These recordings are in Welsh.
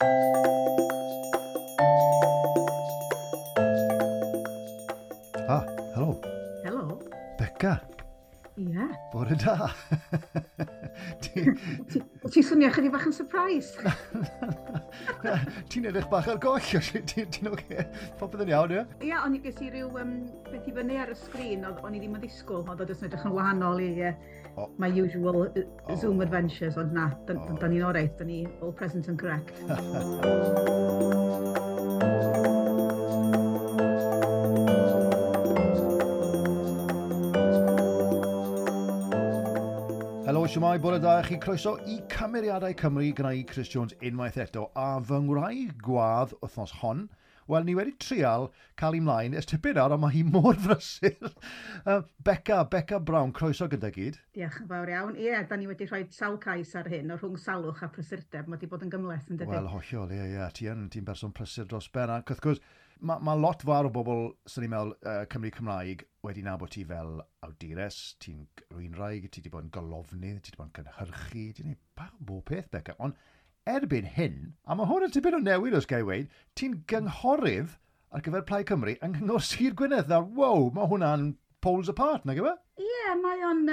Ah, helo. Helo. Beca. Ie. Yeah. Bore da. Ti'n swnio chydig bach yn surprised. Ti'n edrych bach ar goll, ti'n oce? Popeth yn iawn, ie? Ie, o'n i ges i ryw beth i fyny ar y sgrin, o'n i ddim yn ddisgwyl, ond oedd yn edrych yn wahanol i my usual Zoom adventures, ond na, da ni'n oreit, da ni all present and correct. Helo, siwmai, bore da i chi. Croeso i Cymeriadau Cymru gyda i Chris Jones unwaith eto. A fy ngwraig gwadd wythnos hon, wel, ni wedi trial cael ei mlaen ers tipyn nawr, ond mae hi mor frysur. Beca Brown, croeso gyda gyd. Diolch yn fawr iawn. Ie, da ni wedi rhoi sawl cais ar hyn, o rhwng salwch a prysurdeb. Mae wedi bod yn gymhleth, yn dydy? Wel, hollol, ie, ie. Ti'n berson prysur dros ben. Ac wrth gwrs, mae lot fawr o bobl, sy'n ni'n meddwl, Cymru Cymraeg, wedi nabod ti fel awdures, ti'n rwynraig, ti wedi bod yn golofnydd, ti wedi bod yn cynhyrchu, ti'n gwneud bach o bob peth, Beca. Ond erbyn hyn, a mae hwn yn tipyn o newid os gael weud, ti'n gynghorydd ar gyfer Plaid Cymru yng Nghyngor Sir Gwynedd. Nawr, wow, mae hwnna'n poles apart, nag yw e? Ie, mae o'n...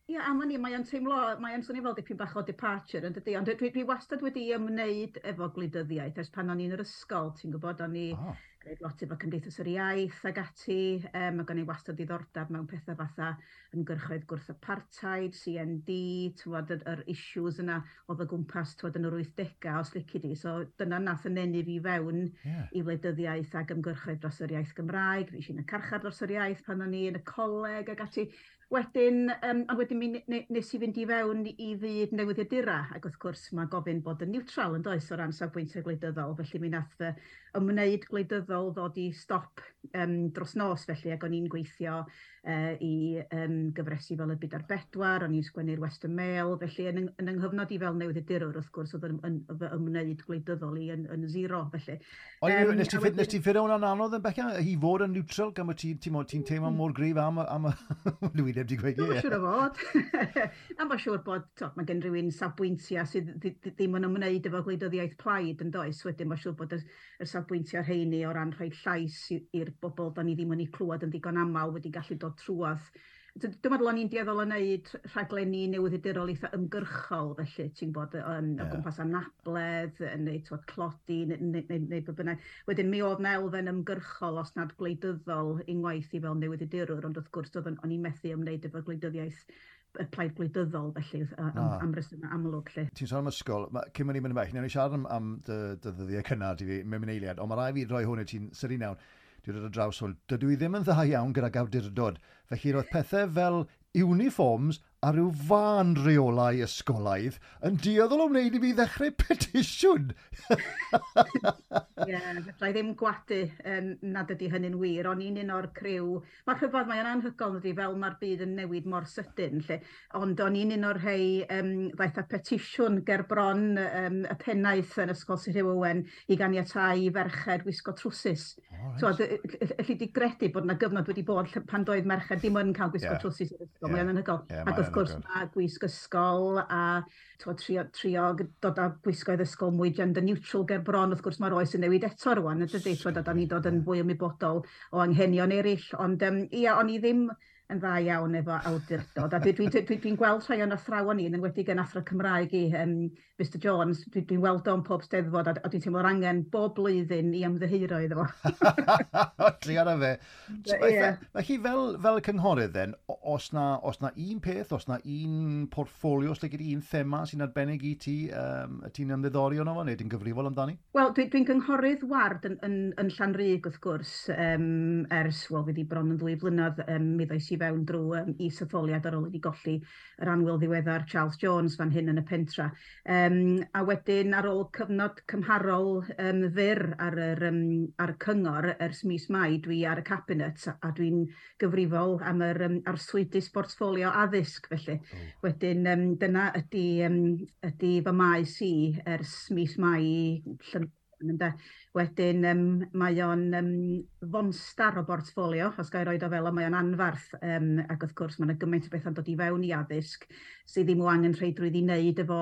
Ie, am wn i, mae o'n teimlo, mae o'n swnio fel dipyn bach o departure, yn dydi? Ond dwi wastad wedi ymwneud efo gwleidyddiaeth ers pan o'n i'n yr ysgol, ti'n gwybod, o'n i gwneud lot efo Cymdeithas yr Iaith ag ati, ac o'n i wastad diddordeb mewn pethau fatha ymgyrchoedd gwrth apartheid, CND, ti'n gwybod, yr issues yna oedd o gwmpas, ti'n gwybod, yn yr 80au, os lici di. So dyna nath yn eni fi fewn i wleidyddiaeth ag ymgyrchoedd dros yr iaith Gymraeg. Fues i yn y carchar dros yr iaith pan o'n i yn y coleg ag ati. Wedyn, ond wedyn mi nes i fynd i fewn i fyd newyddiadura, ac wrth gwrs mae gofyn bod yn neutral yn does o ran safbwyntiau gwleidyddol, felly mi nath ymwneud gwleidyddol ddod i stop dros nos felly, ac o'n i'n gweithio i gyfresi fel y Byd ar Bedwar, o'n i'n sgwennu'r Western Mail, felly yn yng nghyfnod i fel newyddiadurwr wrth gwrs oedd yn fy ymwneud gwleidyddol i yn zero felly. Ond nes ti ffeindio hwnna'n anodd yn Beca, i fod yn neutral gan bod ti'n teimlo mor gryf am y dwi ddim wedi gweud ie. Dwi'n siŵr o fod. A mae'n siŵr bod mae gen rhywun safbwyntiau sydd ddim yn ymwneud efo gwleidyddiaeth plaid yn does. Wedyn mae'n siŵr bod y safbwyntiau rheini o ran rhoi llais i'r bobl da ni ddim yn eu clywed yn ddigon aml wedi gallu dod trwadd. Dwi'n meddwl o'n i'n dueddol o wneud rhaglenni newyddiadurol eitha ymgyrchol, felly ti'n bod yn o gwmpas anabledd, neu tlodi, neu be bynnag. Wedyn mi oedd 'na elfen ymgyrchol, os nad gwleidyddol, unwaith i fel newyddiadurwr, ond wrth gwrs o'n i'n methu ymwneud efo gwleidyddiaeth y plaid gwleidyddol, felly, am resymau amlwg. Lle. Ti'n sôn am ysgol, cyn mynd i mynd yn bell, newn ni siarad am dy ddyddiau cynnar i fi mewn eiliad, ond mae rhaid fi roi hwn i ti'n sydyn iawn. Dwi'n dod ar draws hwn. Dydw i ddim yn dda iawn gydag awdurdod. Felly roedd pethau fel uniforms a rhyw fân reolau ysgolaidd yn dueddol o wneud i fi ddechrau petisiwn. Ie, fedra i ddim gwadu nad ydy hynny'n wir. O'n i'n un o'r criw, mae'r rhyfedd, mae'n anhygoel ydy fel mae'r byd yn newid mor sydyn, lle. Ond o'n i'n un o'r rhai ddaeth â petisiwn ger bron y pennaeth yn Ysgol Sir Hugh Owen i ganiatáu i ferched wisgo trwsus. Oh, right. Elli di gredu bod yna gyfnod wedi bod pan doedd merched ddim yn cael gwisgo trwsus i'r ysgol. Mae'n anhygoel. Ac wrth gwrs mae gwisg ysgol a trio dod â gwisgoedd ysgol mwy gender neutral ger bron. Wrth gwrs mae'r oes yn newid eto rwan, yn dydy? Da ni'n dod yn fwy ymwybodol o anghenion eraill. Ond ie, o'n i ddim yn dda iawn efo awdurdod. A dwi'n gweld rhai o'n athrawon ni, yn enwedig yn athro Cymraeg i Mr Jones, dwi'n weld o'n pob steddfod a dwi'n teimlo'r angen bob blwyddyn i ymddiheuro iddo fo. Trio na fe. Felly fel cynghorydd then, os na un peth, os na un portffolio, os gyda un thema sy'n arbennig i ti, ti'n ymddiddori ono fo, neu ti'n gyfrifol amdani? Wel, dwi'n gynghorydd ward yn Llanrug wrth gwrs, ers, wel, fydd i bron yn 2 blynedd, mi ddois i fewn drwy isetholiad ar ôl i ni golli yr annwyl ddiweddar Charles Jones fan hyn yn y pentra. A wedyn ar ôl cyfnod cymharol fyr ar y cyngor ers mis Mai, dwi ar y cabinet a dwi'n gyfrifol am yr arswydus portffolio addysg felly. Wedyn dyna ydy fy maes i ers mis Mai Ynde. Wedyn mae o'n fonstar o bortffolio, os ga i roid o fel o, mae o'n anfarth, ac wrth gwrs mae yna gymaint o bethau'n dod i fewn i addysg sydd ddim o angenrheidrwydd i wneud efo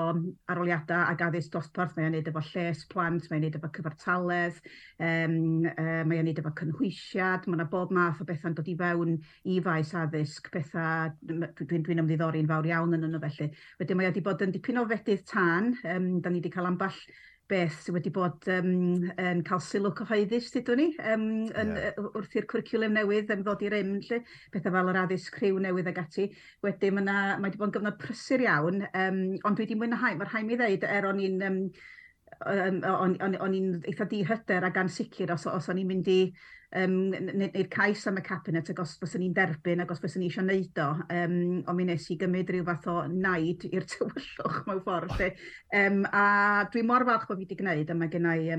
arholiadau ac addysg dosbarth. Mae o'n wneud efo lles plant, mae'n wneud efo cyfartaledd, mae o'n wneud efo cynhwysiad, mae yna bob math o bethau'n dod i fewn i faes addysg, pethau dwi'n ymddiddori'n fawr iawn yn nhw felly. Wedyn mae o wedi bod yn dipyn o fedydd tân, da ni wedi cael ambell beth sydd wedi bod yn cael sylw cyhoeddus, dydw ni, wrth i'r cwricwlwm newydd ddod i rym, lle, pethau fel yr addysg rhyw newydd ag ati. Wedyn mae wedi bod yn gyfnod prysur iawn, ond dwi wedi mwynhau, mae rhaid mi ddeud, er o'n i'n o'n i'n eitha dihyder ac ansicr os o'n i'n mynd i wneud cais am y cabinet ac os fyswn i'n derbyn ac os fyswn i eisiau wneud o, ond mi nes i gymryd rhyw fath o naid i'r tywyllwch mewn ffordd. Lle. A dwi mor falch bod fi wedi gwneud, a mae gen i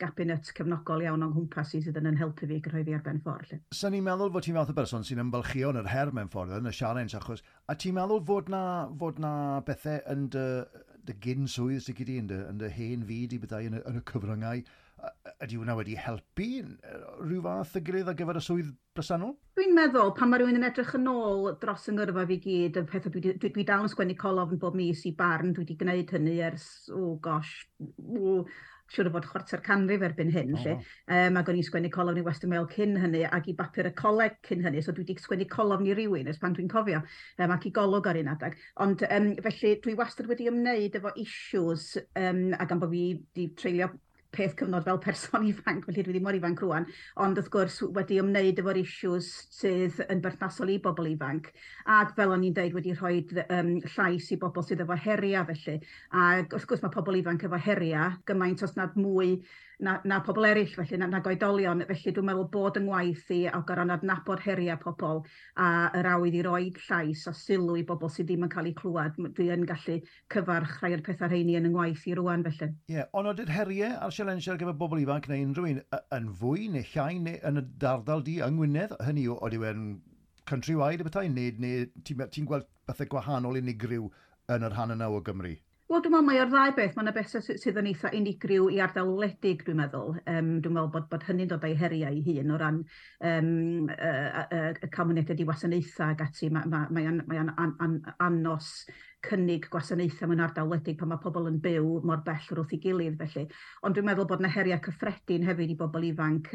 gabinet cefnogol iawn o'n nghwmpas i sydd yn helpu fi gyrraedd ar ben ffordd. Lle. Sa'n ni'n meddwl fod ti'n fath o berson sy'n ymfalchio yn yr her mewn ffordd, yn y challenge, achos, a ti'n meddwl fod na bethau yn dy gyn swydd sydd gyda yn dy hen fyd i byddai yn y cyfryngau, ydy hwnna wedi helpu rhyw fath y gilydd ar gyfer y swydd bresennol? Dwi'n meddwl, pan mae rhywun yn edrych yn ôl dros yng ngyrfa fi gyd, y pethau dwi dal yn sgwennu colofn bob mis i Barn, dwi wedi gwneud hynny ers, oh gosh, oh, siŵr o fod chwarter canrif erbyn hyn. Oh, lle. Ac o'n i'n sgwennu colofn i Western Mail cyn hynny ac i bapur y coleg cyn hynny, so dwi wedi sgwennu colofn i rywun ers pan dwi'n cofio, ac i Golwg ar un adeg. Ond felly dwi wastad wedi ymwneud efo issues, ac am bod fi wedi treulio peth cyfnod fel person ifanc, felly dwi ddim mor ifanc rwan, ond wrth gwrs wedi ymwneud efo'r issues sydd yn berthnasol i bobl ifanc, ac fel o'n i'n deud wedi rhoi llais i bobl sydd efo heriau felly, ac wrth gwrs mae pobl ifanc efo heriau gymaint os nad mwy na pobl eraill felly, na oedolion, felly dwi'n meddwl bod yng ngwaith i o gorfod adnabod heriau pobl a yr awydd i roi llais a sylw i bobl sydd ddim yn cael eu clywed, dwi yn gallu cyfarch rhai o'r pethau rheini yn yng ngwaith i rwan felly. Ie, yeah, ond ydy'r heriau a'r sialensiau ar gyfer bobl ifanc neu unrhyw un yn fwy neu llai neu yn y ardal di yng Ngwynedd? Hynny yw, ydy e'n countrywide y bethau, neu ti'n ti gweld bethau gwahanol unigryw yn yr rhan yna o Gymru? Wel, dwi'n meddwl mai o'r ddau beth, mae yna bethau sydd yn eitha unigryw i ardal wledig, dwi'n meddwl. Dwi'n meddwl bod hynny'n dod â'i heriau ei hun o ran y cael mynediad i wasanaethau ac ati. Mae ma, mae o'n mae an, an, anos cynnig gwasanaethau mewn ardal wledig pan mae pobl yn byw mor bell wrth ei gilydd felly. Ond dwi'n meddwl bod yna heriau cyffredin hefyd i bobl ifanc.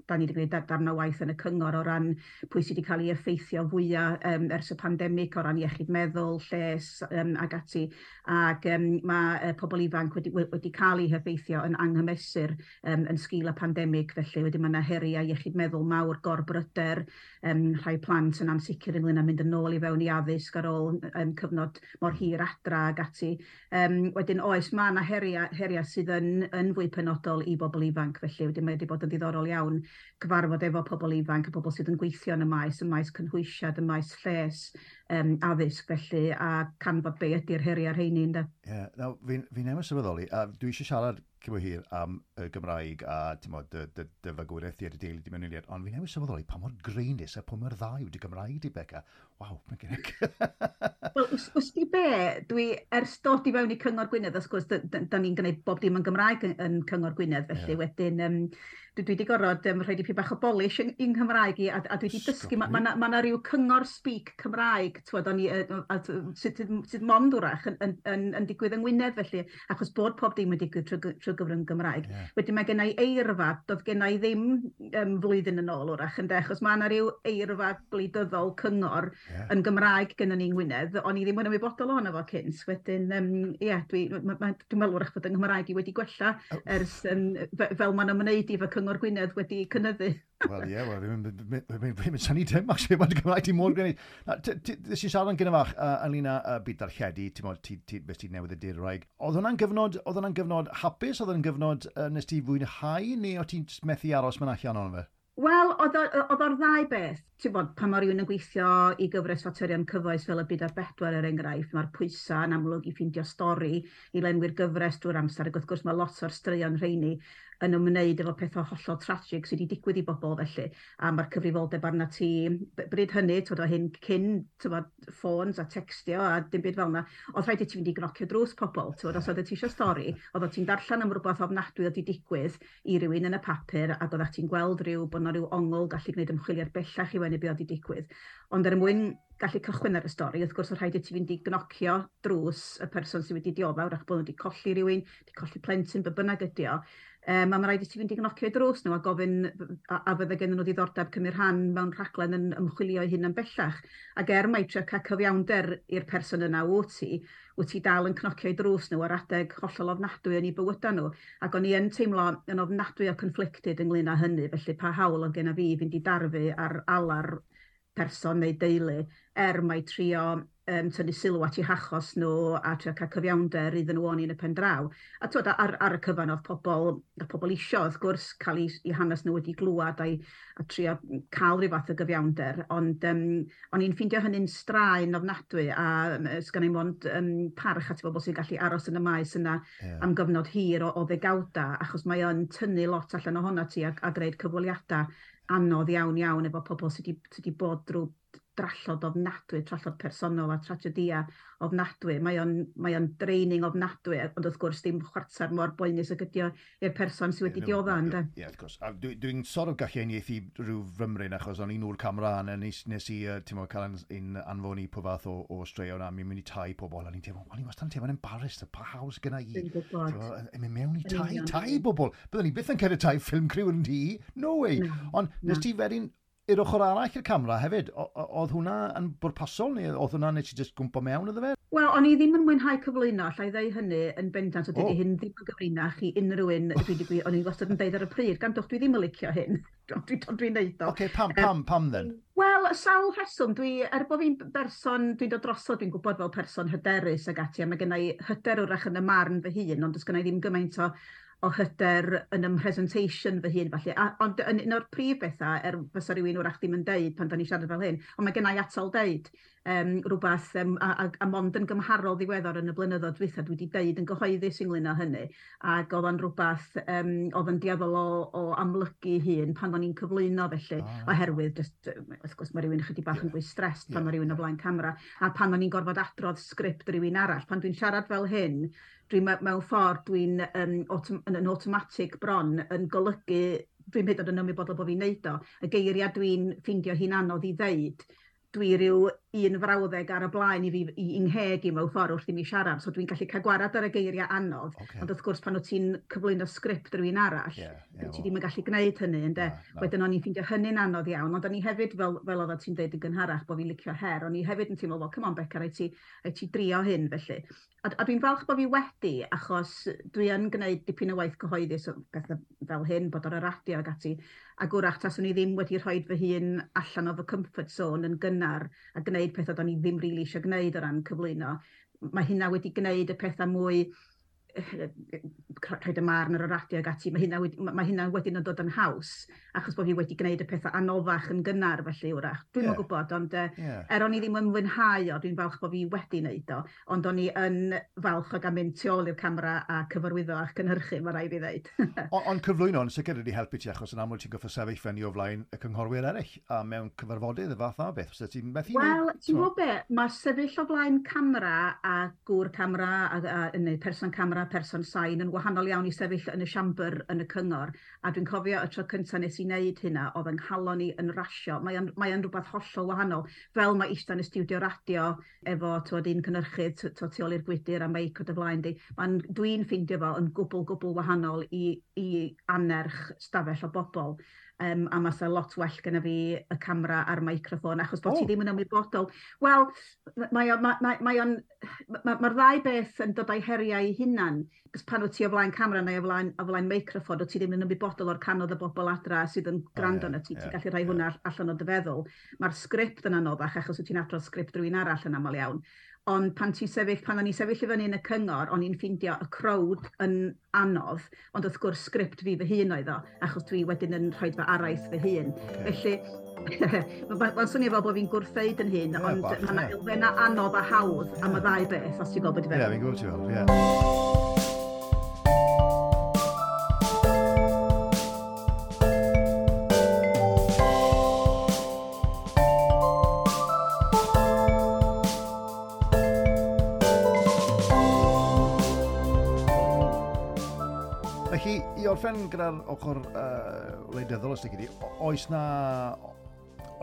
Da ni wedi gwneud darn o waith yn y cyngor o ran pwy sydd wedi cael ei effeithio fwyaf ers y pandemig o ran iechyd meddwl, lles ac ati. Ac mae pobl ifanc wedi cael eu heffeithio yn anghymesur yn sgil y pandemig, felly wedyn mae yna heriau iechyd meddwl mawr, gorbryder, rhai plant yn ansicr ynglyn â mynd yn ôl i fewn i addysg ar ôl cyfnod mor hir adra ac ati. Wedyn oes, mae yna heriau sydd yn fwy penodol i bobl ifanc, felly wedyn mae wedi bod yn ddiddorol iawn cyfarfod efo pobl ifanc a pobl sydd yn gweithio yn y maes cynhwysiad, y maes lles, addysg felly, a canfod be ydy'r heriau rheini, ynde. Ie, yeah, now, fi newydd sylweddoli, a dwi eisiau siarad cyn bo hir am y Gymraeg a ti'n modd, dy fagwraeth di a dy deulu di mewn eiliad, ond fi newydd sylweddoli pa mor graenus a pa mor dda yw dy Gymraeg di, Beca. Waw, mae'n gen. Wel, wst ti be, dwi ers dod i fewn i Cyngor Gwynedd, wrth gwrs, da ni'n gwneud bob dim yn Gymraeg yn Cyngor Gwynedd, felly wedyn dwi wedi gorfod rhoi dipyn bach o polish yng Nghymraeg i, a dwi wedi dysgu, mae ma ryw cyngor speak Cymraeg, twod, o'n i, sydd mond wrach yn digwydd yng Ngwynedd felly, achos bod pob dim yn digwydd trwy gyfrwng Gymraeg. Wedyn mae gen i eirfa, doedd gen i ddim flwyddyn yn ôl wrach, ynde, achos mae yna ryw eirfa gwleidyddol cyngor yn Gymraeg gyda ni yng Ngwynedd, o'n i ddim yn ymwybodol ohono fo cynt. Wedyn, ie, yeah, dwi meddwl wrach bod yng Nghymraeg i wedi gwella ers, fel mae'n ymwneud i fy Cyngor Gwynedd wedi cynyddu. Wel, ie, wel, fi'n synnu dim, actually, mae'n Gymraeg ti mor gwneud. Nes i siarad yn gynnar fach ynglyn â byd darlledu, ti'n modd, ti, beth ti'n newydd y dirwraig. Oedd hwnna'n gyfnod hapus, oedd hwnna'n gyfnod nes ti fwynhau, neu oedd ti'n methu aros mewn allan o'n fe? Wel, oedd o'r ddau beth. Ti'n bod, pan mae rhywun yn gweithio i gyfres faterion cyfoes fel y Byd ar Bedwar er enghraifft, mae'r pwysau yn amlwg i ffeindio stori i lenwi'r gyfres drwy'r amser, ac wrth gwrs mae lot o'r straeon rheini yn ymwneud efo pethau hollol tragic sydd wedi digwydd i bobl felly, a mae'r cyfrifoldeb arna ti bryd hynny, twyd, o hyn cyn, twyd, ffôns a textio a dim byd fel yna, oedd rhaid i ti fynd i gnocio drws pobl, twyd, os oedd ti eisiau stori, oedd ti'n darllen am rhywbeth ofnadwy oedd wedi digwydd i rywun yn y papur, ac oedd ti'n gweld rhyw, bod 'na rhyw ongl gallu gwneud ymchwiliad bellach i wenu beth oedd wedi digwydd. Ond er mwyn gallu cychwyn ar y stori, wrth gwrs, oedd rhaid i ti fynd i gnocio drws y person sydd wedi dioddef, wrach bod nhw wedi colli rhywun, wedi colli plentyn, be bynnag ydi o. A mae rhaid i ti fynd i gnocio drws nhw a gofyn a fydde gen nhw ddiddordeb cymryd rhan mewn rhaglen yn ymchwilio i hyn yn bellach. Ac er mai trio cael cyfiawnder i'r person yna wyt ti dal yn cnocio i drws nhw ar adeg hollol ofnadwy yn eu bywydau nhw. Ac o'n i yn teimlo yn ofnadwy o conflicted ynglyn â hynny, felly pa hawl oedd genna fi fynd i darfu ar alar person neu deulu, er mai trio tynnu sylw at eu hachos nhw a trio cael cyfiawnder iddyn nhw o'n i yn y pen draw. A twyd, ar y cyfan oedd pobl isio, wrth gwrs, cael eu hanes nhw wedi glwad a trio cael rhyw fath o gyfiawnder, ond o'n i'n ffeindio hynny'n straen ofnadwy, a sgan i'm ond parch at bobl sy'n gallu aros yn y maes yna am gyfnod hir o ddegawda, achos mae o'n tynnu lot allan ohono ti a gwneud cyfweliadau anodd iawn iawn efo pobl sydd wedi bod drwy drallod ofnadwy, trallod personol a tragedia ofnadwy. Mae o'n draining ofnadwy, ond wrth gwrs ddim chwarter mor boenus ag ydi o i'r person sydd wedi diodda, ynde? Ie, wrth gwrs. A dwi'n sort of gallu uniaethu rhyw fymryn, achos o'n i'n ôl camera a nes i ti'n cael un anfon i po fath o straeon a mi'n mynd i tai pobl, a ni'n teimlo, o'n i wastad yn teimlo'n embarrassed, pa hawl gyna i? Dwi'n gwybod. Yn mynd mewn i tai bobl. Byddwn ni byth yn cerdded tai film crew yn tŷ. No way. Ond nes ti wedyn i'r ochr arall i'r camera hefyd, oedd hwnna yn bwrpasol neu oedd hwnna nes i jyst gwmpo mewn iddo fe? Wel, o'n i ddim yn mwynhau cyflwyno, allai ddeud hynny yn bendant, o dydy hyn ddim yn gyfrinach i unrhyw un, o'n i wastad yn deud ar y pryd, gandwch, dwi ddim yn licio hyn, dwi'n neud o. Oce, pam then? Wel, sawl rheswm, er bod fi'n berson, dwi'n dod drosodd, dwi'n gwybod fel person hyderus ag ati, a mae gen i hyder wrach yn y marn fy hun, ond does gen i ddim gymaint o hyder yn ym presentation fy hun, falle. Ond yn un o'r prif bethau, er fysa rhywun wrach ddim yn deud pan da ni'n siarad fel hyn, ond mae gennai atal deud rhywbeth, a mond yn gymharol ddiweddar yn y blynyddoedd dwytha, dwi wedi deud yn gyhoeddus ynglyn â hynny, ac oedd o'n rhywbeth, oedd yn dueddol o amlygu hun pan o'n i'n cyflwyno felly, oherwydd, just, wrth gwrs, mae rhywun ychydig bach yn fwy stressed pan mae rhywun o flaen camera, a pan o'n i'n gorfod adrodd sgript rhywun arall, pan dwi'n siarad fel hyn, dwi'n mewn ffordd dwi'n yn automatic bron yn golygu, dwi'n hyd yn oed yn ymwybodol bod fi'n neud o, y geiriau dwi'n ffeindio hi'n anodd i ddeud, dwi ryw un frawddeg ar y blaen i fi i ngheg i mewn ffordd wrth i mi siarad, so dwi'n gallu cael gwarad ar y geiriau anodd, ond wrth gwrs pan wyt ti'n cyflwyno sgript rhywun arall, ti ddim yn gallu gwneud hynny, ynde? Wedyn o'n i'n ffeindio hynny'n anodd iawn, ond o'n i hefyd, fel oeddet ti'n deud yn gynharach, bod fi'n licio her, o'n i hefyd yn teimlo, well, come on Beca, rhaid ti drio hyn, felly. A dwi'n falch bod fi wedi, achos dwi yn gwneud dipyn o waith cyhoeddus o bethau fel hyn, bod ar y radio ac ati, ac wrach taswn i ddim wedi rhoi fy hun allan o fy comfort zone yn gynnar a gwneud pethau do'n i ddim rili eisiau gwneud o ran cyflwyno. Mae hynna wedi gwneud y pethau mwy rhaid y marn ar y radio ac ati, mae hynna wedyn yn dod yn haws, achos bod fi wedi gwneud y pethau anoddach yn gynnar felly wrach. Dwi'm yn gwybod, ond er o'n i ddim yn mwynhau o, dwi'n falch bod fi wedi wneud o, ond o'n i yn falch o gael mynd tu ôl i'r camera a cyfarwyddo a cynhyrchu, mae rhaid fi ddeud. Ond cyflwyno yn sicr wedi helpu ti, achos yn amlwg ti'n gorfod sefyll fyny o flaen y cynghorwyr eraill, a mewn cyfarfodydd y fath o beth. Ti'n methu Wel, ti'n gwybod be, mae sefyll o flaen camera a gŵr camera, neu person camera, person sain yn wahanol iawn i sefyll yn y siambr yn y cyngor, a dwi'n cofio y tro cyntaf nes i wneud hynna, oedd yng nghalon i yn rasio. Mae o'n rhywbeth hollol wahanol, fel mae eistedd yn y stiwdio radio efo twod, un cynhyrchydd tu ôl i'r gwydr a meic o dy flaen di. Dwi'n ffeindio fo yn gwbl wahanol i annerch stafell o bobl. A mae lot well gyda fi y camera a'r microffon, achos bod ti ddim yn ymwybodol. Wel, mae'r ddau beth yn dod â'i heriau ei hunan. Cos pan wyt ti o flaen camera neu o flaen microffon, wyt ti ddim yn ymwybodol o'r canodd y bobl adra sydd yn gwrando arno ti. Ti'n gallu rhoi hwnna allan o dy feddwl. Mae'r sgript yn anoddach, achos wyt ti'n adrodd sgript rhywun arall yn aml iawn. Ond pan o'n i'n sefyll i fyny yn y cyngor, o'n i'n ffeindio y crowd yn anodd, ond wrth gwrs sgript fi fy hun oedd o, achos dwi wedyn yn rhoi fy araith fy hun. Felly, mae'n swnio fel bod fi'n gwrthdeud yn hun, ond mae yna elfennau anodd a hawdd am y ddau beth, os ti'n gwybod beth i feddwl. Ie, fi'n gwybod ti'n fel, ie. I orffen gyda'r ochr wleidyddol, os ti,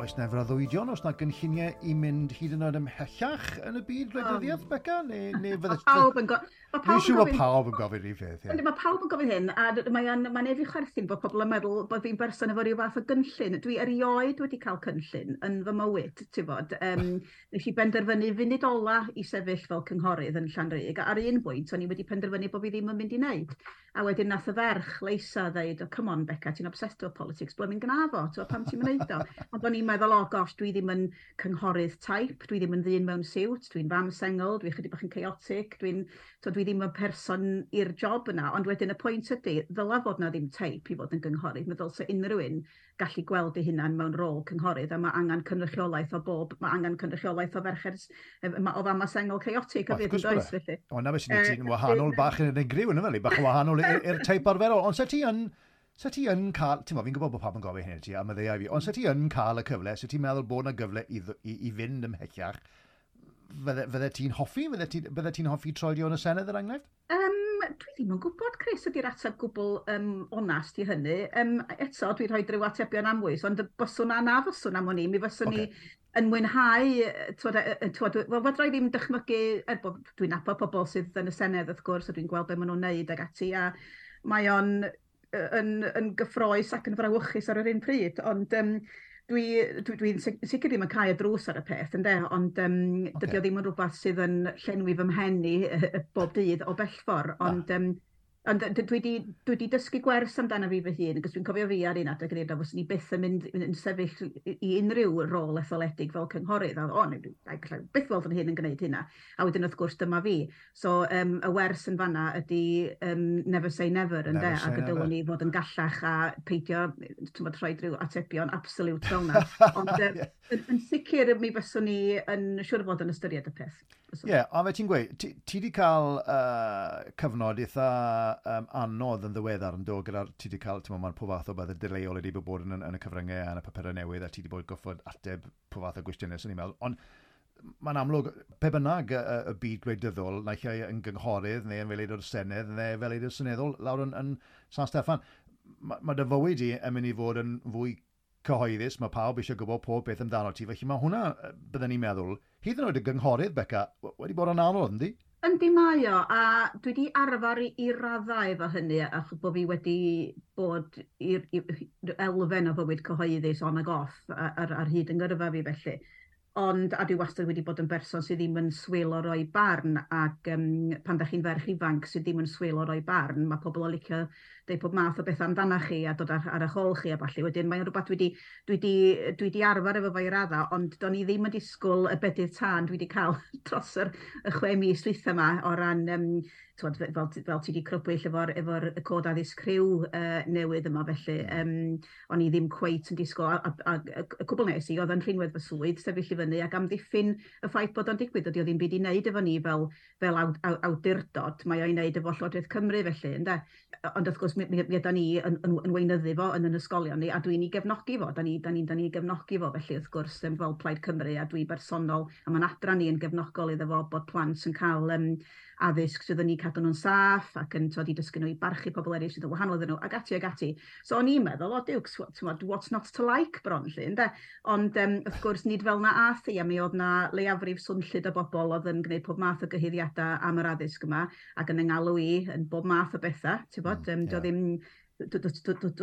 oes na freuddwydion, oes na gynlluniau i mynd hyd yn oed ymhellach yn y byd gwleidyddiaeth, Beca? Neu fydde... Pawb yn Dwi'n siŵr bod pawb yn gofyn rhyw peth, ie. Mae pawb yn gofyn hyn, a mae'n ma neud fi chwerthin bod pobl yn meddwl bod fi'n berson efo rhyw fath o gynllun. Dwi erioed wedi cael cynllun yn fy mywyd, ti'n bod. Nes i benderfynu funud ola i sefyll fel cynghorydd yn Llanrug, a ar un bwynt o'n i wedi penderfynu bod fi ddim yn mynd i wneud. A wedyn nath y ferch Leisa ddeud, "Oh, come on, Beca, ti'n obsessed with politics, blymyn gna fo, ti'n pam ti'n mynd o?" Ond o'n i'n meddwl, "Oh gosh, dwi ddim yn cynghorydd type, dwi ddim yn ddyn mewn siwt, dwi'n fam sengl, dwi'n chydig bach yn chaotic, so dwi ddim yn person i'r job yna." Ond wedyn y pwynt ydy, ddyla fod na ddim teip i fod yn gynghorydd. Meddwl ddylse unrhyw un gallu gweld ei hunan mewn rôl cynghorydd, a mae angen cynrychiolaeth o bob, mae angen cynrychiolaeth o ferched, o fama sengl chaotic o fyd yn does, felly. O, na beth sy'n ti'n wahanol bach yn unigryw, yn fel, bach yn wahanol i'r teip arferol. Ond se ti yn cael, ti'n fi'n gwybod bod pawb yn gofyn hyn i ti, a maddeuai fi, ond se ti yn cael y cyfle, se ti'n meddwl bod yna gyfle i fynd ymhellach, fydde ti'n hoffi? Fydde ti hoffi troedio yn y Senedd, er enghraifft? Dwi ddim yn gwybod, Chris, ydy'r ateb gwbl onast i hynny. Eto, dwi'n rhoi rhyw atebion amwys, ond byswn a na fyswn am o'n i, mi fyswn i yn mwynhau, twod, wel, fedra i ddim dychmygu, er bod dwi'n nabod pobl sydd yn y Senedd, wrth gwrs, a dwi'n gweld be maen nhw'n neud ag ati, a mae o'n yn gyffrous ac yn frawychus ar yr un pryd, ond dwi sicr ddim yn cau y drws ar y peth, ynde, ond dydy o ddim yn rhywbeth sydd yn llenwi fy mhen i bob dydd o bell ffordd, ond dwi di dysgu gwers amdano fi fy hun, achos dwi'n cofio fi ar un adeg yn dweud fyswn i byth yn mynd yn sefyll i unrhyw rôl etholedig fel cynghorydd. A o, neu, gallai byth weld yn hyn yn gwneud hynna. A wedyn wrth gwrs dyma fi. So y wers yn fanna ydy never say never, ynde? Ac y dylwn ni fod yn gallach a peidio, ti'n rhoi rhyw atebion absolute fel yna. Ond yn sicr mi fyswn ni yn siŵr fod yn ystyried y peth. Ie, yeah, ond fe ti'n gweud, ti wedi cael cyfnod eitha anodd yn ddiweddar yn dod gyda'r, ti wedi cael, ti'n meddwl, pob fath o beth dadleuol wedi bod yn y cyfryngau a yn y papurau newydd, a ti wedi bod goffod ateb pob fath o gwestiynau, swn i'n meddwl. Ond mae'n amlwg, pe bynnag y byd gwleidyddol, naill ai yn gynghorydd neu yn fel aelod o'r Senedd neu fel aelod seneddol lawr yn San Steffan, mae dy fywyd i yn mynd i fod yn fwy cyhoeddus, mae pawb eisiau gwybod pob beth amdano ti, felly mae hwnna, byddwn ni'n meddwl, hyd yn oed y gynghorydd, Beca, wedi bod yn anodd, yndi? Yndi mae o, a dwi wedi arfer i raddau efo hynny, achos bod fi wedi bod i'r elfen o fywyd cyhoeddus on ag off ar hyd yng ngyrfa fi felly. Ond, a dwi wastad wedi bod yn berson sydd ddim yn swil o roi barn, ac pan da chi'n ferch ifanc sydd ddim yn swil o roi barn, mae pobl o licio deud pob math o bethau amdanach chi a dod ar eich ôl chi a ballu. Wedyn mae'n rhywbeth dwi di arfer efo fo i radda, ond do'n i ddim yn disgwyl y bedydd tân dwi wedi cael dros y 6 mis dwytha yma o ran, twod, fel ti wedi crybwyll efo y cod addysg rhyw newydd yma felly, o'n i ddim cweit yn disgwyl, a y cwbl nes i oedd yn rhinwedd fy swydd, sefyll i fyny ac amddiffyn y ffaith bod o'n digwydd. Dydy o ddim byd i wneud efo ni fel awdurdod, mae o'i wneud efo Llywodraeth Cymru felly, ynde? Ond wrth gwrs, mi ydan ni yn weinyddu fo yn ysgolion ni, a dwi'n ei gefnogi fo, da ni gefnogi fo felly wrth gwrs fel Plaid Cymru, a dwi bersonol, a mae'n adran ni yn gefnogol iddo fo bod plant yn cael addysg sydd yn eu cadw nhw'n saff ac yn twod, i dysgu nhw i barchu pobl eraill sydd yn wahanol iddyn nhw, ac ati ac ati. So o'n i'n meddwl, "O diwcs, what's not to like" bron lle, ynde? Ond wrth gwrs, nid fel na ath i, a mi oedd na leiafrif swnllyd o bobl oedd yn gwneud pob math o gyhuddiadau am yr addysg yma, ac yn yng i yn bob math o bethau, ti'n bod? Ddim dwi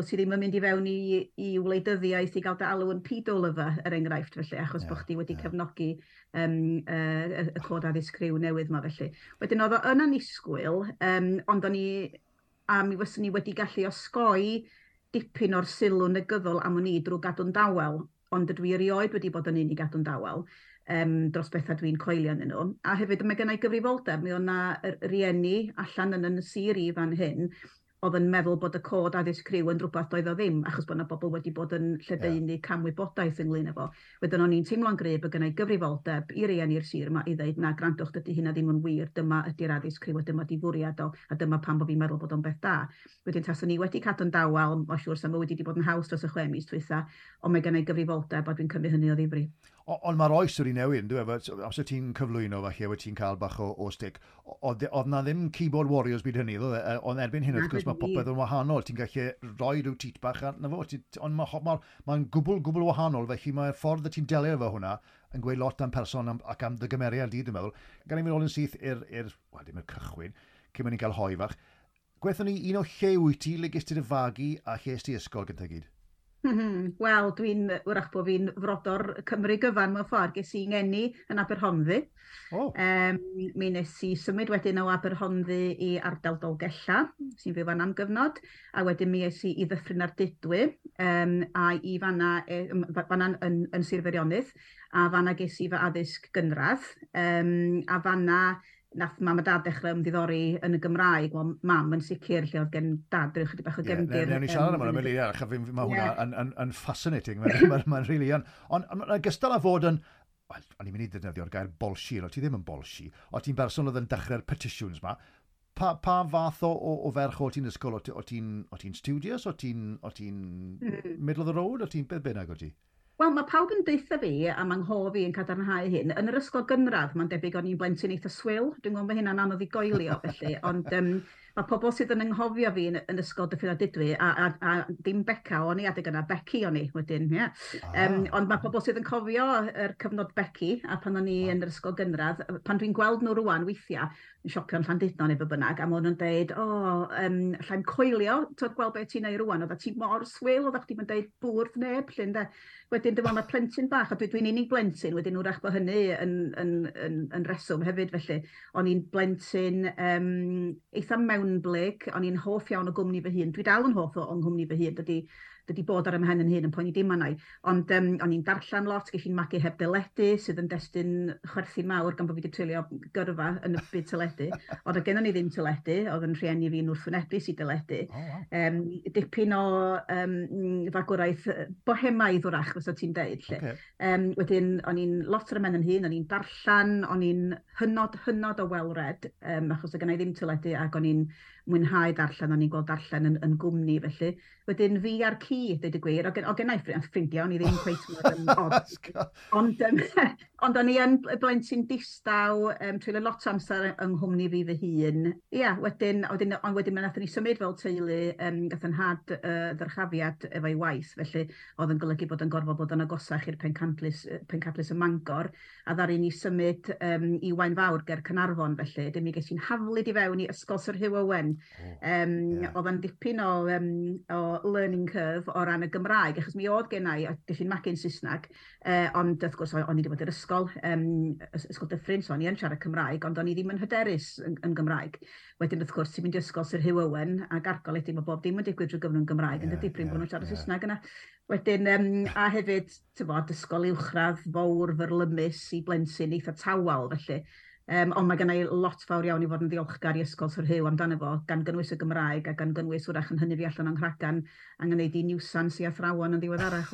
ti ddim yn mynd i fewn i wleidyddiaeth i gael dy alw yn pedo lover, er enghraifft, felly, achos bod chdi wedi cefnogi y cod addysg rhyw newydd yma, felly. Wedyn oedd o yn anisgwyl, ond o'n i, a mi fyswn ni wedi gallu osgoi dipyn o'r sylw negyddol am o'n i drwy gadw'n dawel, ond dydw i erioed wedi bod yn un i gadw'n dawel dros bethau dwi'n coelio yn nhw. A hefyd mae gennau gyfrifoldeb, mi oedd 'na rieni allan yn sir i fan hyn, oedd yn meddwl bod y cod addysg rhyw yn rhywbeth doedd o ddim, achos bod yna bobl wedi bod yn lledaenu camwybodaeth ynglyn efo. Wedyn o'n i'n teimlo'n gryf bod gennau gyfrifoldeb i rieni'r sir yma i ddeud, "Na, grandwch, dydy hynna ddim yn wir, dyma ydy'r addysg rhyw a dyma di fwriad o, a dyma pam bod fi'n meddwl bod o'n beth da." Wedyn taswn ni wedi cadw'n dawel, mae'n siŵr sa mywyd wedi bod yn haws dros y 6 mis dwytha, ond mae gennau gyfrifoldeb a dwi'n cymryd hynny o ddifri. Ond mae'r oes wedi newid, yn dyw e? Amser ti'n cyflwyno falle, wedi ti'n cael bach o stick. Oedd na ddim keyboard warriors byd hynny, oedd e? Ond erbyn hyn, wrth gwrs, mae popeth yn wahanol. Ti'n gallu rhoi rhyw tweet bach arno fo. Ond mae'n gwbl, gwbl wahanol, felly mae'r ffordd y ti'n delio efo hwnna yn gweud lot am person ac am dy gymeriad di, dwi'n meddwl. Gan i fynd ôl yn syth i'r, wel, dim i'r cychwyn, cyn mynd i'n cael hoe fach. Gwethon ni un o lle wyt ti, le ges ti dy fagu a lle es ti ysgol gyntaf gyd? Wel, dwi'n, wrach bod fi'n frodor Cymru gyfan mewn ffordd. Ges i ngeni yn Aberhonddu. Oh. Mi nes i symud wedyn o Aberhonddu i ardal Dolgella, sy'n fyw fan am gyfnod, a wedyn mi es i i Ddyffryn Ardudwy, a i fanna, fanna yn Sir Feirionnydd, a fanna ges i fy addysg gynradd, a fanna nath mam a dad dechrau ymddiddori yn y Gymraeg. Wel, mam yn sicr, lle oedd gen dad rhyw chydig bach o gefndir. Ie, newn ni siarad am hwnna, mewn eiliad, achos mae hwnna yn fascinating, mae'n really yn. Ond gystal â fod yn, wel, o'n i'n mynd i ddefnyddio'r gair bolshi, ond ti ddim yn bolshi, o ti'n berson oedd yn dechrau'r petitions ma, pa fath o ferch o ti'n ysgol? O ti'n studious? O ti'n middle of the road? O ti'n beth bynnag o ti? Wel, mae pawb yn deutha fi, a mae nghof fi yn cadarnhau hyn. Yn yr ysgol gynradd, mae'n debyg o'n i'n blentyn eitha swil. Dwi'n gwybod bod hynna'n anodd i goelio, felly. Ond mae pobl sydd yn anghofio fi yn ysgol Dyffryn Ardudwy, a dim Beca o'n i adeg yna, Becky o'n i wedyn, ie. Ond mae pobl sydd yn cofio yr cyfnod Becky, a pan o'n i yn yr ysgol gynradd, pan dwi'n gweld nhw rwan weithiau, yn siopio'n Llandudno neu be bynnag, a maen nhw'n deud, o, allai'm coelio, ti'n gweld beth ti'n neud rwan, oedda ti mor swil, oedda chdi'm yn deud bwrdd neb, lle ynde. Wedyn dwi'n meddwl mae plentyn bach, a dwi'n unig blentyn, wedyn wrach bod hynny yn reswm hefyd, felly. O'n i'n blentyn eitha mewnblyg, o'n i'n hoff iawn o gwmni fy hun. Dwi dal yn hoff o nghwmni fy hun, dydy bod ar 'y mhen yn hun yn poeni dim arna i. Ond o'n i'n darllen lot, ges i'n magu heb deledu, sydd yn destun chwerthin mawr gan bod fi wedi treulio gyrfa yn y byd teledu. Ond oedd gennon ni ddim teledu, oedd yn rhieni fi'n wrthwynebus i deledu. Oh, wow. Dipyn o fagwraeth bohemaidd wrach, fysa ti'n deud. Lle. Okay. Wedyn, o'n i'n lot ar 'y mhen yn hun, o'n i'n darllen, o'n i'n hynod, hynod o well-read, achos oedd gennai ddim teledu ac o'n i'n mwynhau darllen, o'n i'n gweld darllen yn gwmni felly. Wedyn fi a'r ci, dweud y gwir, o gennai ffrindiau, o'n i ddim cweit mor odd. Ond o'n i yn blentyn distaw, treulio lot o amser yng nghwmni fi fy hun. Ia, wedyn wedyn nathon ni symud fel teulu, gath yn nhad ddyrchafiad efo'i waith, felly oedd yn golygu bod yn gorfod bod yn agosach i'r pencadlys ym Mangor, a ddaru ni symud i Waun Fawr ger Caernarfon, felly. Wedyn mi ges i'n haflid i fewn i Ysgol Sir Hugh Owen. Oedd yn dipyn o learning curve o ran y Gymraeg, achos mi oedd gennai, ges i'n magu'n Saesneg, ond wrth gwrs o'n i wedi bod i'r ysgol, ysgol Dyffryn, so o'n i yn siarad Cymraeg, ond o'n i ddim yn hyderus yn Gymraeg. Wedyn wrth gwrs ti'n mynd i ysgol Sir Hugh Owen, ac argol ydy, mae bob dim yn digwydd drwy gyfrwng Gymraeg, yn dydy, prin bod nhw'n siarad Saesneg yna. Wedyn, a hefyd, ti'n ysgol uwchradd fawr fyrlymus i blentyn eitha tawel, felly. Ond mae gennai lot fawr iawn i fod yn ddiolchgar i Ysgol Sir Hugh amdano fo, gan gynnwys y Gymraeg a gan gynnwys wrach yn hynny fi allan o'n nghragan a gwneud i niwsans i athrawon yn ddiweddarach.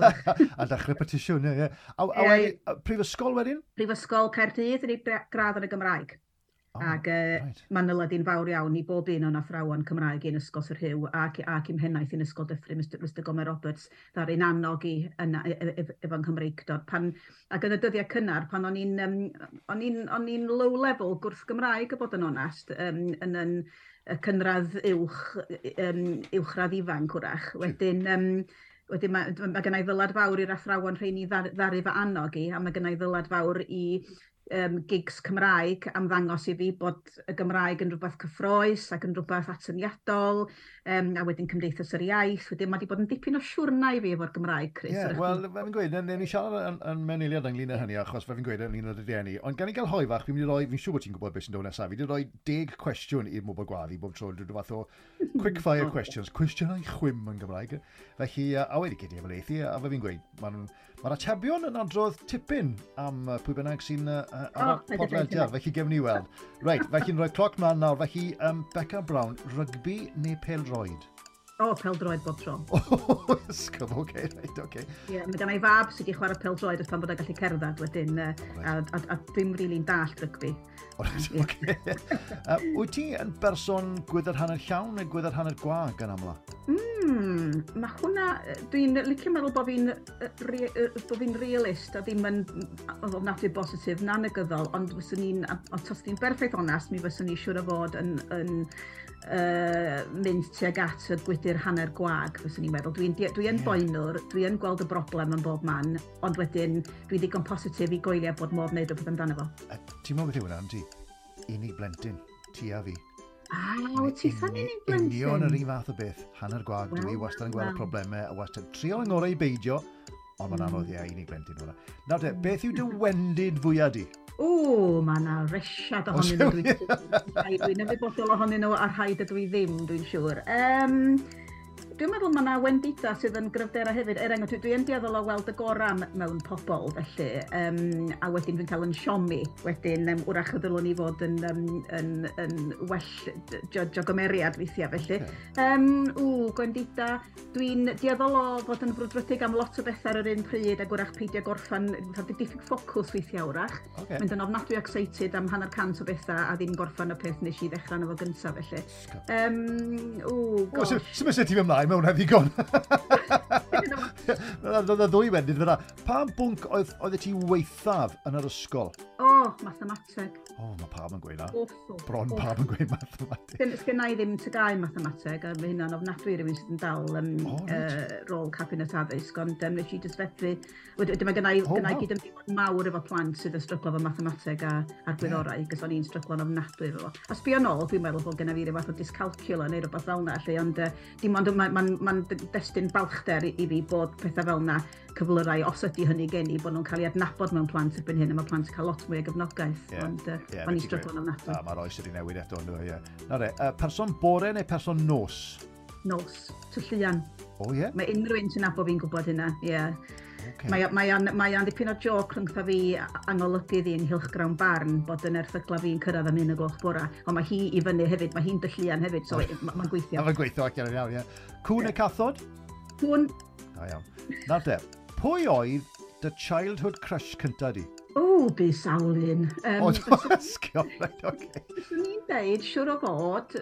A dechrau petisiwn, ie. A wedyn, prifysgol wedyn? Prifysgol Caerdydd, yn ei gradd yn y Gymraeg. Oh, Ac right. Mae'n nyled fawr iawn i bob un o'n athrawon Cymraeg yn Ysgol Sir Hugh ac i'm mhennaeth yn Ysgol Dyffryn, Mr Gomer Roberts, ddaru'n annog i yna efo'n Nghymreictod. Ac yn y dyddiau cynnar, pan o'n i'n low level gwrth Gymraeg, a bod yn onast, yn y cynradd uwchradd ifanc wrach. Wedyn mae gennai ddylad fawr i'r athrawon rheini ddaru fy annog i, a mae gennai ddylad fawr i gigs Cymraeg am ddangos i fi bod y Gymraeg yn rhywbeth cyffrous ac yn rhywbeth atyniadol, a wedyn Cymdeithas yr Iaith. Wedyn mae wedi bod yn dipyn o siwrna i fi efo'r Gymraeg, Chris. Ie, wel, fe fi'n gweud, newn ni siarad yn mewn eiliad ynglyn â hynny, achos fe fi'n gweud ynglyn â dy rieni. Ond gan i gael hoe fach, fi'n mynd i roi, fi'n siŵr bod ti'n gwybod beth sy'n dod nesaf, fi wedi rhoi 10 cwestiwn i'r Mwbwl Gwaddu bob tro, rhyw fath o quick fire questions, cwestiynau chwim yn Gymraeg. Felly, a wedi gyd i efo a fe fi'n gweud, mae'r atebion yn adrodd tipyn am pwy bynnag sy'n ar y podlediad, felly gefn ni weld. Reit, felly'n rhoi cloc mlaen nawr, felly Beca Brown, rygbi neu pêl-droed? O, peldroed bob tro. O, ysgol, oce, reit, oce. Ie, mae gen i fab sydd wedi chwarae peldroed ers pan bod o'n gallu cerdded wedyn, a dwi'm rili'n dallt rygbi. O, reit, oce. Wyt ti yn berson gwydr hanner llawn neu gwydr hanner gwag yn amla? Mae hwnna, dwi'n licio meddwl bod fi'n realist a ddim yn ofnadwy bositif na negyddol, ond fyswn i'n, ond os ti'n berffaith onast, mi fyswn i siŵr o fod yn mynd tuag at y gwydr hanner gwag, fyswn i'n meddwl. Dwi yn boenwr, dwi yn gweld y broblem yn bob man, ond wedyn dwi'n ddigon positif i goelio bod modd wneud rhywbeth amdano fo. Ti'n meddwl beth yw hwnna, ti? Unig blentyn, ti a fi. Ah, wyt ti sa'n unig blentyn? Union yr un fath o beth, hanner gwag, dwi wastad yn gweld y problemau, a wastad trio yng ngorau i beidio, ond mae'n anodd, ie, unig blentyn hwnna. Nawr te, beth yw dy wendid fwyaf di? O, mae yna resiad ohonyn nhw. Dwi'n ymwybodol ohonyn nhw a rhai dydw i ddim, dwi'n siŵr. Dwi'n meddwl mae yna wendida sydd yn gryfderau hefyd. Er enghraifft, dwi yn dueddol o weld y gorau mewn pobl, felly, a wedyn dwi'n cael yn siomi. Wedyn, wrach y ddylwn i fod yn well judge o gymeriad weithiau, felly. Okay. Gwendida, dwi'n dueddol o fod yn frwdfrydig am lot o bethau ar yr un pryd a gwrach peidio gorffan, fatha diffyg ffocws weithiau wrach. Mynd yn ofnadwy excited am 150 o bethau a ddim gorffan y peth nes i ddechrau efo gyntaf, felly. Ww, gosh. Sut mae ti ymlaen, mae hwnna ddigon. Oedd ddwy wendid fyna. Pa bwnc oedd ti weithaf yn yr ysgol? O, oh, mathemateg. O, oh, mae pawb yn gweud na. Awful. Bron pawb yn gweud mathemateg. Sgynna i ddim TGAU mathemateg, a mae hynna'n ofnadwy i rywun sydd yn dal rôl cabinet addysg, ond nes i jyst fethu. Wedyn mae gynna i, oh, gynna i gyd mawr efo plant sydd yn stryglo efo mathemateg a'r gwyddorau, cos o'n i'n stryglo'n ofnadwy efo fo. A sbio nôl, dwi'n meddwl bod gynna fi ryw fath o dyscalculia neu rhywbeth fel yna, lle, ond dim ond mae'n ma destun balchder i fi bod pethau fel yna, cyflyrau, os ydy hynny gen i, bod nhw'n cael ei adnabod mewn plant erbyn hyn, a mae plant yn cael lot mwy o gefnogaeth, ond o'n i'n stryglo'n ofnadwy. A mae'r oes wedi newid eto, ynddo, ie. Nawr e, person bore neu person nos? Nos, tylluan. O, ie? Mae unrhyw un sy'n nabod fi'n gwybod hynna, ie. Yeah. Mae o'n dipyn o joc rhyngtha fi a'n golygydd i yng nghylchgrawn Barn bod yn erthygla fi'n cyrraedd am 1 o'r gloch bora. Ond mae hi i fyny hefyd, mae hi'n dylluan hefyd, so mae'n gweithio. Mae'n gweithio ac iawn, ie. Cwn neu cathod? Cwn. Da iawn. Nawr te, pwy oedd dy childhood crush cynta di? O, bu sawl un. O, ysgol, reit, oce. Fyswn i'n deud, siwr o fod,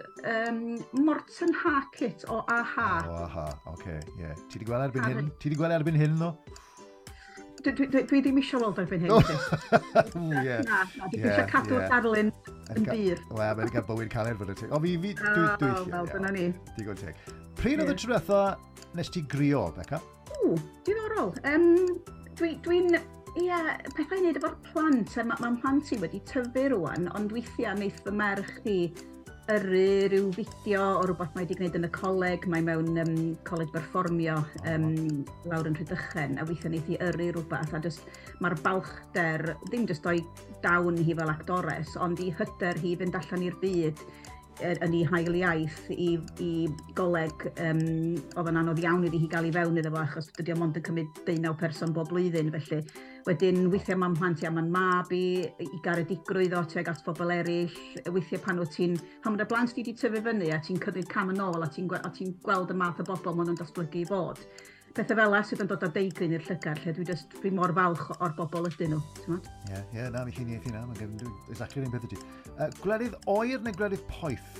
Morten Harket o a-ha. O, a-ha, oce, ie. Ti wedi gweld erbyn hyn? Ti wedi gweld erbyn hyn, ddo? Dwi ddim eisiau weld erbyn hyn, Chris. Ie. Na, na, dwi eisiau cadw'r darlun yn bur. Wel, mae'n cael bywyd caled fod y teg. O, fi, dwi, Wel, dyna ni. Digon teg. Pryd oedd y tro diwetha nes ti grio, Beca? O, diddorol. Dwi'n, ie, pethau i wneud efo'r plant. Mae ma mhlant i wedi tyfu rwan, ond weithiau wneith fy merch i yrru rhyw fideo o rhywbeth mae wedi gwneud yn y coleg, mae mewn coleg berfformio lawr yn Rhydychen, a weithiau wneith i yrru rhywbeth, a just mae'r balchder, ddim just o'i dawn hi fel actores, ond i hyder hi fynd allan i'r byd yn ei hail iaith i goleg oedd yn anodd iawn iddi hi gael i fewn iddo fo achos dydy o mond yn cymryd 19 person bob blwyddyn, felly wedyn weithiau mae'n mhlant i a mae'n mab i garedigrwydd o tuag at bobl eraill. Weithiau pan mae dy blant di wedi tyfu fyny a ti'n cymryd cam yn ôl a ti gweld y math o bobl maen nhw'n datblygu i fod, pethau fel 'na sydd yn dod â deigryn i'r llygad, lle dwi mor falch o'r bobl ydyn nhw, ti'n gwbod? Ie, na, mi chi'n eithi na, mae'n gen exactly yr un peth ydy. Gwledydd oer neu gwledydd poeth?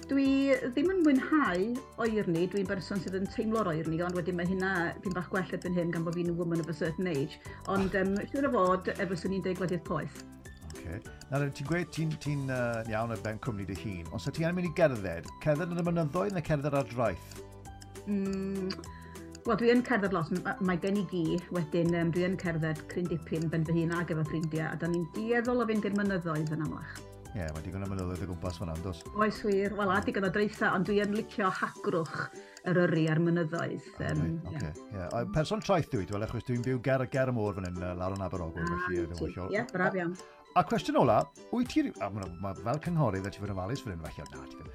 Dwi ddim yn mwynhau oerni, dwi'n berson sydd yn teimlo'r oerni, ond wedyn mae hynna dwi'n bach gwell erbyn hyn gan bod fi'n woman of a certain age. Ond siŵr o fod, efo swn i'n deud gwledydd poeth. Okay. Nawr, ti'n gweud ti'n ti iawn ar ben cwmni dy hun, ond sa ti angen mynd i gerdded, cerdded yn y mynyddoedd neu cerdded ar draeth? Wel, dwi yn cerdded lot, mae gen i gi, wedyn dwi yn cerdded cryn dipyn ben fy hun ag efo ffrindiau, a da ni'n dueddol o fynd i'r mynyddoedd yn amlach. Ie, yeah, mae digon o mynyddoedd o gwmpas fan'na, does? Oes wir, wel, a digon o draetha, ond dwi yn licio hagrwch Eryri a'r mynyddoedd. Okay, yeah. Person traeth dwi, dwi'n achos dwi'n byw ger y môr fan hyn, lawr yn Aberogwr, felly. Ie, braf iawn. A cwestiwn ola, wyt ti, a ma, fel cynghorydd, ti fod yn ofalus fan hyn, falle, na, ti ddim.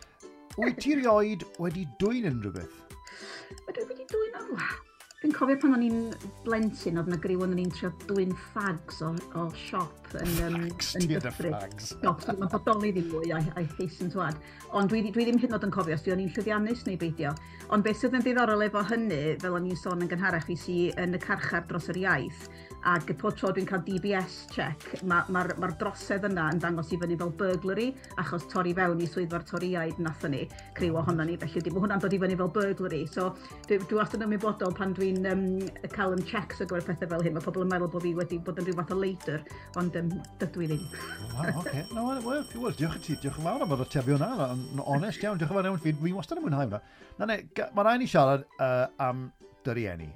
Wyt ti rioed wedi dwyn unrhyw beth? Ydw i wedi dwyn o? Dwi'n cofio pan o'n i'n blentyn, oedd yna griw o'n i'n trio dwyn fags o siop. siop yn, Flags, yn Theatr Dyffryn. Flags. Siop, mae'n bodoli ddim mwy, I hasten to add. Ond dwi ddim hyd yn oed yn cofio os dwi o'n i'n llwyddiannus neu beidio. Ond beth sydd yn ddiddorol efo hynny, fel o'n i'n sôn yn gynharach, fi sy yn y carchar dros yr iaith, ac pob tro dwi'n cael DBS check, mae'r ma drosedd yna yn dangos i fyny fel burglary, achos torri fewn i swyddfa'r Torïaid nathon ni, criw ohono ni, felly mae hwnna'n dod i fyny fel burglary. So dwi wastad yn ymwybodol pan dwi'n cael yn checks ar gyfer pethau fel hyn, mae pobl yn meddwl bod fi wedi bod yn rhyw fath o leidr, ond dydw i ddim. Wow, oce. No, wel, diolch i ti, diolch yn fawr am yr atebion yna. Yn onest iawn, diolch yn fawr iawn. Fi wastad yn mwynhau hwnna. Na ne, mae rhaid ni siarad am dy rieni.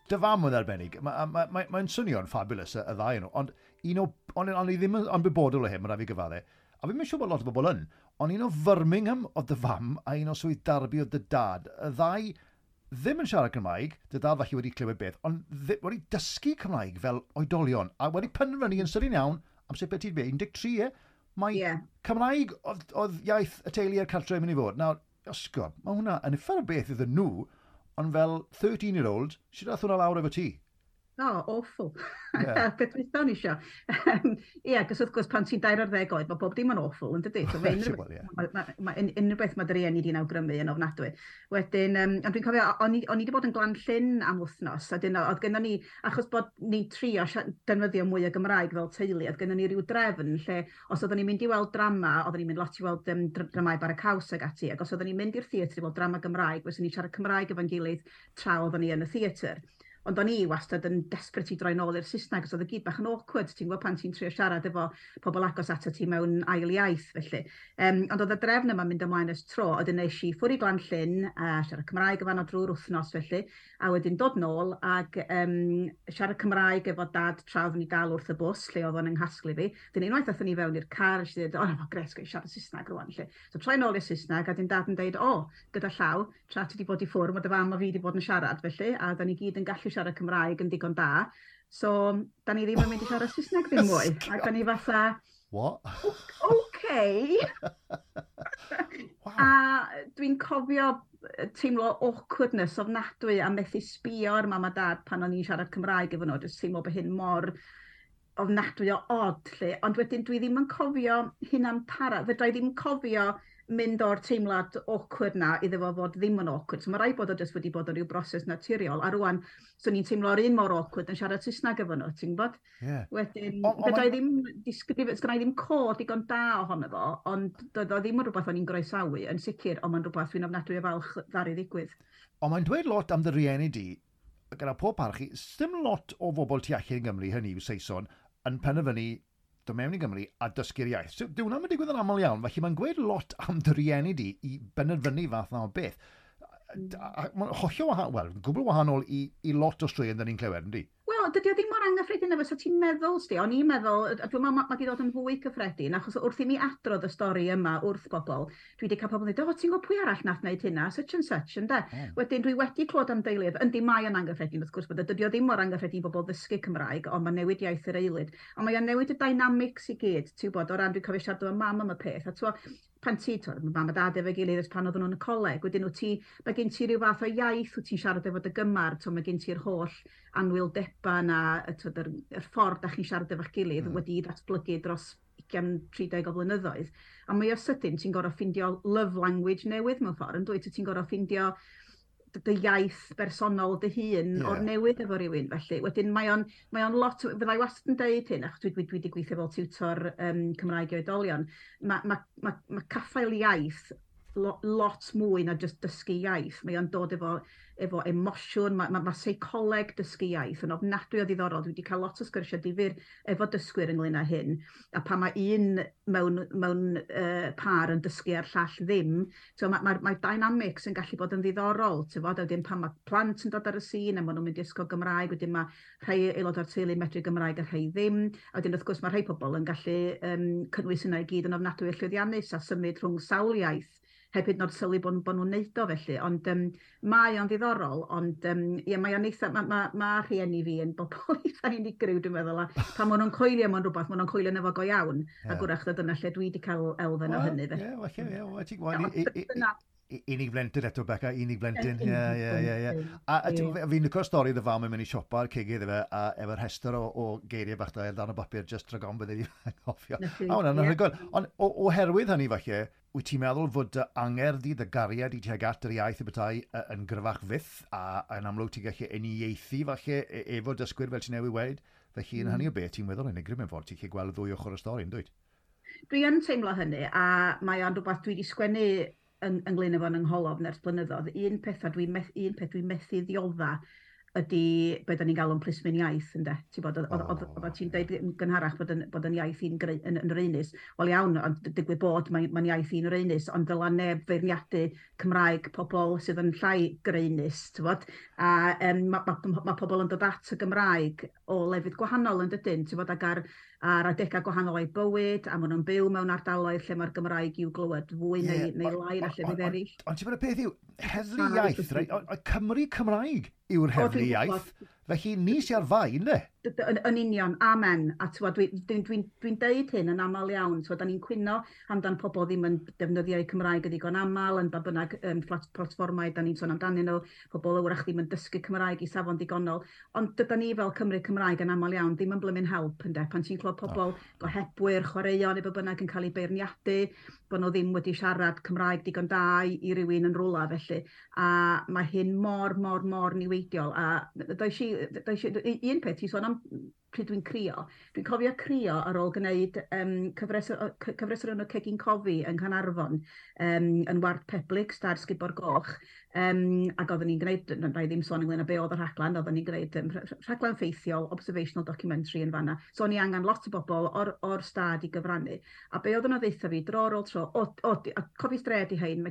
Dy fam yn arbennig. Mae'n ma, ma, ma swnio'n fabulous y ddau nhw, ond un o, ond i ddim yn ymwybodol o hyn, mae rhaid fi gyfadde. A fi'n siŵr bod lot o bobl yn, ond un o Birmingham oedd dy fam a un o Swydd Derby oedd dy dad. Y ddau ddim yn siarad Cymraeg, dy dad falle wedi clywed beth, ond wedi dysgu Cymraeg fel oedolion, a wedi penderfynu yn sydyn iawn, amser beth ti'n dweud, 13 e, mae Cymraeg oedd iaith y teulu a'r cartre yn mynd i fod. Nawr, Oscar, mae hwnna yn uffar o beth iddyn nhw, ond fel 13-year-old, sut ath hwnna lawr efo ti? Oh, awful. Beth dwytha o'n isio. Ie, cos wrth gwrs pan ti'n 14 oed, mae bob dim yn awful, yn dydy? So, mae unrhyw, Wel, ie. ma unrhyw beth mae dy rieni di'n awgrymu yn ofnadwy. Wedyn, ond dwi'n cofio, o'n i wedi bod yn Glan-llyn am wythnos, a dyn, oedd gynnon ni, achos bod ni'n trio defnyddio mwy o Gymraeg fel teulu, oedd gynnon ni ryw drefn lle, os oedden ni'n mynd i weld drama, oedden ni'n mynd lot i weld dramau Bara Caws ag ati, ac os oedden ni'n mynd i'r theatr i weld drama Gymraeg, fyswn ni'n siarad Cymraeg efo'n gilydd tra oedden ni yn y theatr. Ond o'n i wastad yn desperate i droi nôl i'r Saesneg, os oedd y gyd bach yn awkward, ti'n gwybod, pan ti'n trio siarad efo pobl agos ato ti mewn ail iaith, felly. Ond oedd y drefn yma'n mynd ymlaen ers tro, oedd nes i ffwrdd i Glan-llyn a siarad Cymraeg efo nhw drwy'r wythnos felly, a wedyn dod nôl ac siarad Cymraeg efo dad tra oeddwn ni dal wrth y bws, lle oedd o'n yng nghasglu fi. Dyn unwaith aethon ni fewn i'r car, nes i ddweud, "O, oh, gret, gwneud siarad Saesneg rwan," lle. So troi nôl i'r Saesneg, a dyn dad yn dweud, "O, gyda llaw, tra ti wedi bod i ffwrdd, mae dy fam a fi wedi bod yn siarad felly, a da ni gyd yn gallu siarad Cymraeg yn digon da. So, da ni ddim yn mynd i siarad Saesneg ddim mwy." A da ni fatha, "What?" "Okay." A dwi'n cofio teimlo awkwardness ofnadwy a methu sbio ar mam a dad pan o'n i'n siarad Cymraeg efo nhw, jyst teimlo bod hyn mor ofnadwy o odd, lle. Ond wedyn dwi ddim yn cofio hynna'n para. Fedra i ddim cofio mynd o'r teimlad awkward na iddo fo fod ddim yn awkward. So mae rhaid bod o jyst wedi bod yn rhyw broses naturiol. A rwan, so ni'n teimlo'r un mor awkward yn siarad Saesneg efo nhw, ti'n gwybod? Wedyn, fedra i ddim disgrifio, sgynna i ddim cod digon da ohono fo, ond doedd o ddim yn rhywbeth o'n i'n groesawu, yn sicr, ond mae'n rhywbeth dwi'n ofnadwy o falch ddaru ddigwydd. Ond mae'n dweud lot am dy rieni di, gyda pob parch i, sdim lot o bobl tu allan i Gymru, hynny yw Saeson, yn penderfynu dod mewn i Gymru a dysgu'r iaith. So, dyw hwnna'n digwydd yn aml iawn, felly mae'n gweud lot am dy rieni di i benderfynu fath na o beth. A mae'n hollol wahanol, wel, gwbl wahanol i lot o straeon dyn ni'n clywed, yndi? Wel, dydy o ddim mor anghyffredin efo sa ti'n meddwl, sti. O'n i'n meddwl, a dwi'n meddwl mae wedi dod yn fwy cyffredin, achos wrth i mi adrodd y stori yma wrth bobl, dwi wedi cael pobl yn dweud, "O, ti'n gwybod pwy arall nath wneud hynna, such and such," ynde? Wedyn dwi wedi clywed am deuluoedd, yndi mae yn anghyffredin, wrth gwrs, bod dydy o ddim mor anghyffredin i bobl ddysgu Cymraeg, ond mae'n newid iaith yr aelwyd. Ond mae'n newid y dynamics i gyd, ti'n gwybod, o ran dwi'n cofio siarad efo mam am y peth, a ti'n pan ti, ti'n mae mam a dad efo'i gilydd ers pan oedden nhw'n y coleg, wedyn wyt ti, mae gen ti rhyw fath o iaith wyt ti'n siarad efo dy gymar, ti'n mae gen ti'r holl anwyldeba na, y, twod, yr ffordd da chi'n siarad efo'ch gilydd wedi datblygu dros 20-30 o flynyddoedd. A mwy o sydyn, ti'n gorfod ffindio love language newydd mewn ffordd, yn dwyt? Ti'n gorfod ffindio dy iaith bersonol dy hun o'r newydd efo rhywun felly. Wedyn mae o'n lot, fyddai wastad yn deud hyn, achos dwi wedi gweithio fel tiwtor Cymraeg i oedolion, ma caffael iaith lot mwy na just dysgu iaith. Mae o'n dod efo emosiwn, ma seicoleg dysgu iaith yn ofnadwy o ddiddorol. Dwi wedi cael lot o sgyrsiau difyr efo dysgwyr ynglyn â hyn. A pan mae un mewn par yn dysgu a'r llall ddim, so mae dynamics yn gallu bod yn ddiddorol. Ti'n fod, a wedyn pan mae plant yn dod ar y sîn a maen nhw'n mynd i ysgol Gymraeg, wedyn mae rhai aelod o'r teulu medru Gymraeg a rhai ddim. A wedyn wrth gwrs mae rhai pobl yn gallu cynnwys yna i gyd yn ofnadwy o llwyddiannus a symud rhwng sawl iaith heb hyd yn oed sylwi bod nhw'n neud o felly. Ond mae o'n ddiddorol, ond ie, mae o'n eitha, ma rhieni fi yn bobl eitha unigryw, dwi'n meddwl, a pan maen nhw'n coelio mewn rhywbeth, maen nhw'n coelio yno fo go iawn, a gwrach dyna lle dwi wedi cael elfen o hynny. Ie, falle, ie, wel, ti'n gwybod, Unig blentyn eto, Beca, unig blentyn. Ie. A fi'n licio'r stori dy fam yn mynd i siopa ar cigydd efe, a efo'r rhestr o geiriau bach da dan o bapur, just rhag ofn bydde di anghofio. A hwnna'n anhygoel. Ond oherwydd hynny falle, wyt ti'n meddwl fod dy angerdd di, dy gariad i tuag at yr iaith y bethau yn gryfach fyth, a yn amlwg ti'n gallu uniaethu falle efo dysgwyr fel ti'n newydd weud. Felly yn hynny o beth, ti'n meddwl yn unigryw mewn ffordd, ti'n gallu gweld ddwy ochr y stori, yn dwyt? Dwi yn teimlo hynny, a mae o'n rhywbeth dwi wedi sgwennu ynglyn efo yn yngholofn ers blynyddoedd. Un peth dwi'n methu ddiodda ydy be da ni'n galw'n plismyn iaith, ynde? Ti'n bod, oedd ti'n deud yn gynharach bod yn iaith i'n yn raenus. Wel iawn, ond digwydd bod mae'n iaith i'n raenus, ond dyla neb feirniadu Cymraeg pobl sydd yn llai graenus, ti'n bod? A ma pobl yn dod at y Gymraeg o lefydd gwahanol yn dydyn, ti'n bod, ac ar adegau gwahanol o'i bywyd, a maen nhw'n byw mewn ardaloedd lle mae'r Gymraeg i'w glywed fwy neu lai na llefydd eraill. Ond ti'n bod y peth yw, heddlu iaith, reit? Cymru Cymraeg yw'r heddlu iaith. Felly ni sy'n ar fai, ynddo? Yn union, amen. A dwi'n deud hyn yn aml iawn. Da ni'n cwyno amdan pobl ddim yn defnyddio eu Cymraeg yn ddigon aml, yn ba bynnag platfformau da ni'n sôn amdanyn nhw, pobl wrach ddim yn dysgu Cymraeg i safon digonol. Ond dyda ni fel Cymru Cymraeg yn aml iawn ddim yn blymyn help, ynde? Pan ti'n clywed pobl gohebwyr, chwaraeon, neu be bynnag yn cael eu beirniadu, bod nhw ddim wedi siarad Cymraeg digon da i rywun yn rwla felly. A mae hyn mor, mor, mor niweidiol. A un peth, ti'n sôn am pryd dwi'n crio. Dwi'n cofio crio ar ôl gwneud cyfres o'r enw Cegin Cofi yng Nghaernarfon, yn ward Peblig, Star Sgubor Goch, ac oedden ni'n gwneud, na i ddim sôn ynglyn â be oedd y rhaglen, oedden ni'n gwneud rhaglen ffeithiol, observational documentary yn fanna. So o'n i angen lot o bobl o'r stad i gyfrannu. A be oedden nhw ddeutha fi, dro ar ôl tro, a cofi stred i hein,